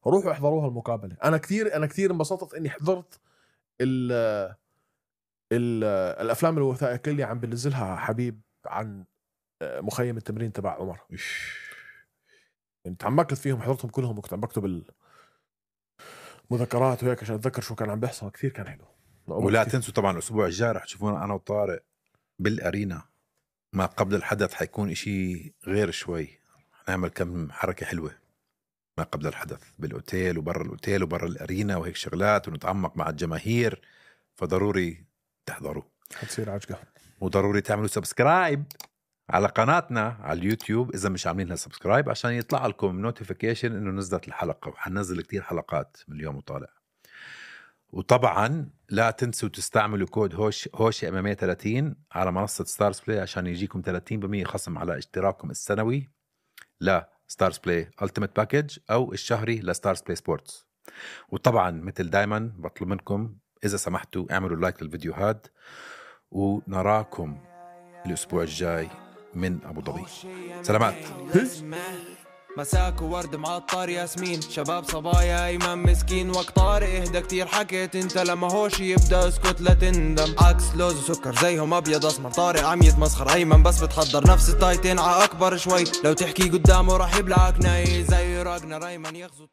روحوا احضروها المقابلة. أنا كثير أنا كثير انبسطت إني حضرت ال ال الأفلام الوثائقية اللي عم بنزلها حبيب عن مخيم التمرين تبع عمر. يعني تعمقت فيهم حضرتهم كلهم وكنت عم بكتب المذكرات وهيك عشان أتذكر شو كان عم بيحصل. كثير كان حلو. ولا كتير. تنسوا طبعا الأسبوع الجاي رح تشوفونا أنا وطارق بالأرينا ما قبل الحدث. حيكون إشي غير شوي. نعمل كم حركة حلوة ما قبل الحدث بالأوتيل وبرا الأوتيل وبرا الأرينا وهيك شغلات ونتعمق مع الجماهير. فضروري تحضروا. حتصير عجقة. وضروري تعملوا سبسكرايب على قناتنا على اليوتيوب إذا مش عاملين لها سبسكرايب عشان يطلع لكم نوتيفيكيشن إنه نزلت الحلقة. وحننزل كتير حلقات من اليوم وطالع. وطبعا لا تنسوا تستعملوا كود هوش هوشي أمامية ثلاثين على منصة ستارز بلاي عشان يجيكم ثلاثين بالمية خصم على اشتراككم السنوي لا ستارز بلاي ألتيميت باكج أو الشهري لستارز بلاي سبورتس. وطبعا مثل دايما بطلب منكم إذا سمحتوا اعملوا لايك للفيديو هاد ونراكم الأسبوع الجاي من أبو ظبي. سلامات. مساك وورد معطر ياسمين شباب صبايا ايمن مسكين وقت طارق اهدى كتير حكيت انت لما هوش يبدا اسكت لا تندم عكس لوز وسكر زيهم ابيض اسمر طارق عم يتمسخر ايمن بس بتحضر نفس التايتين ع اكبر شوي لو تحكي قدامه راح يبلعك ناي زي راجنا ايمن يغزو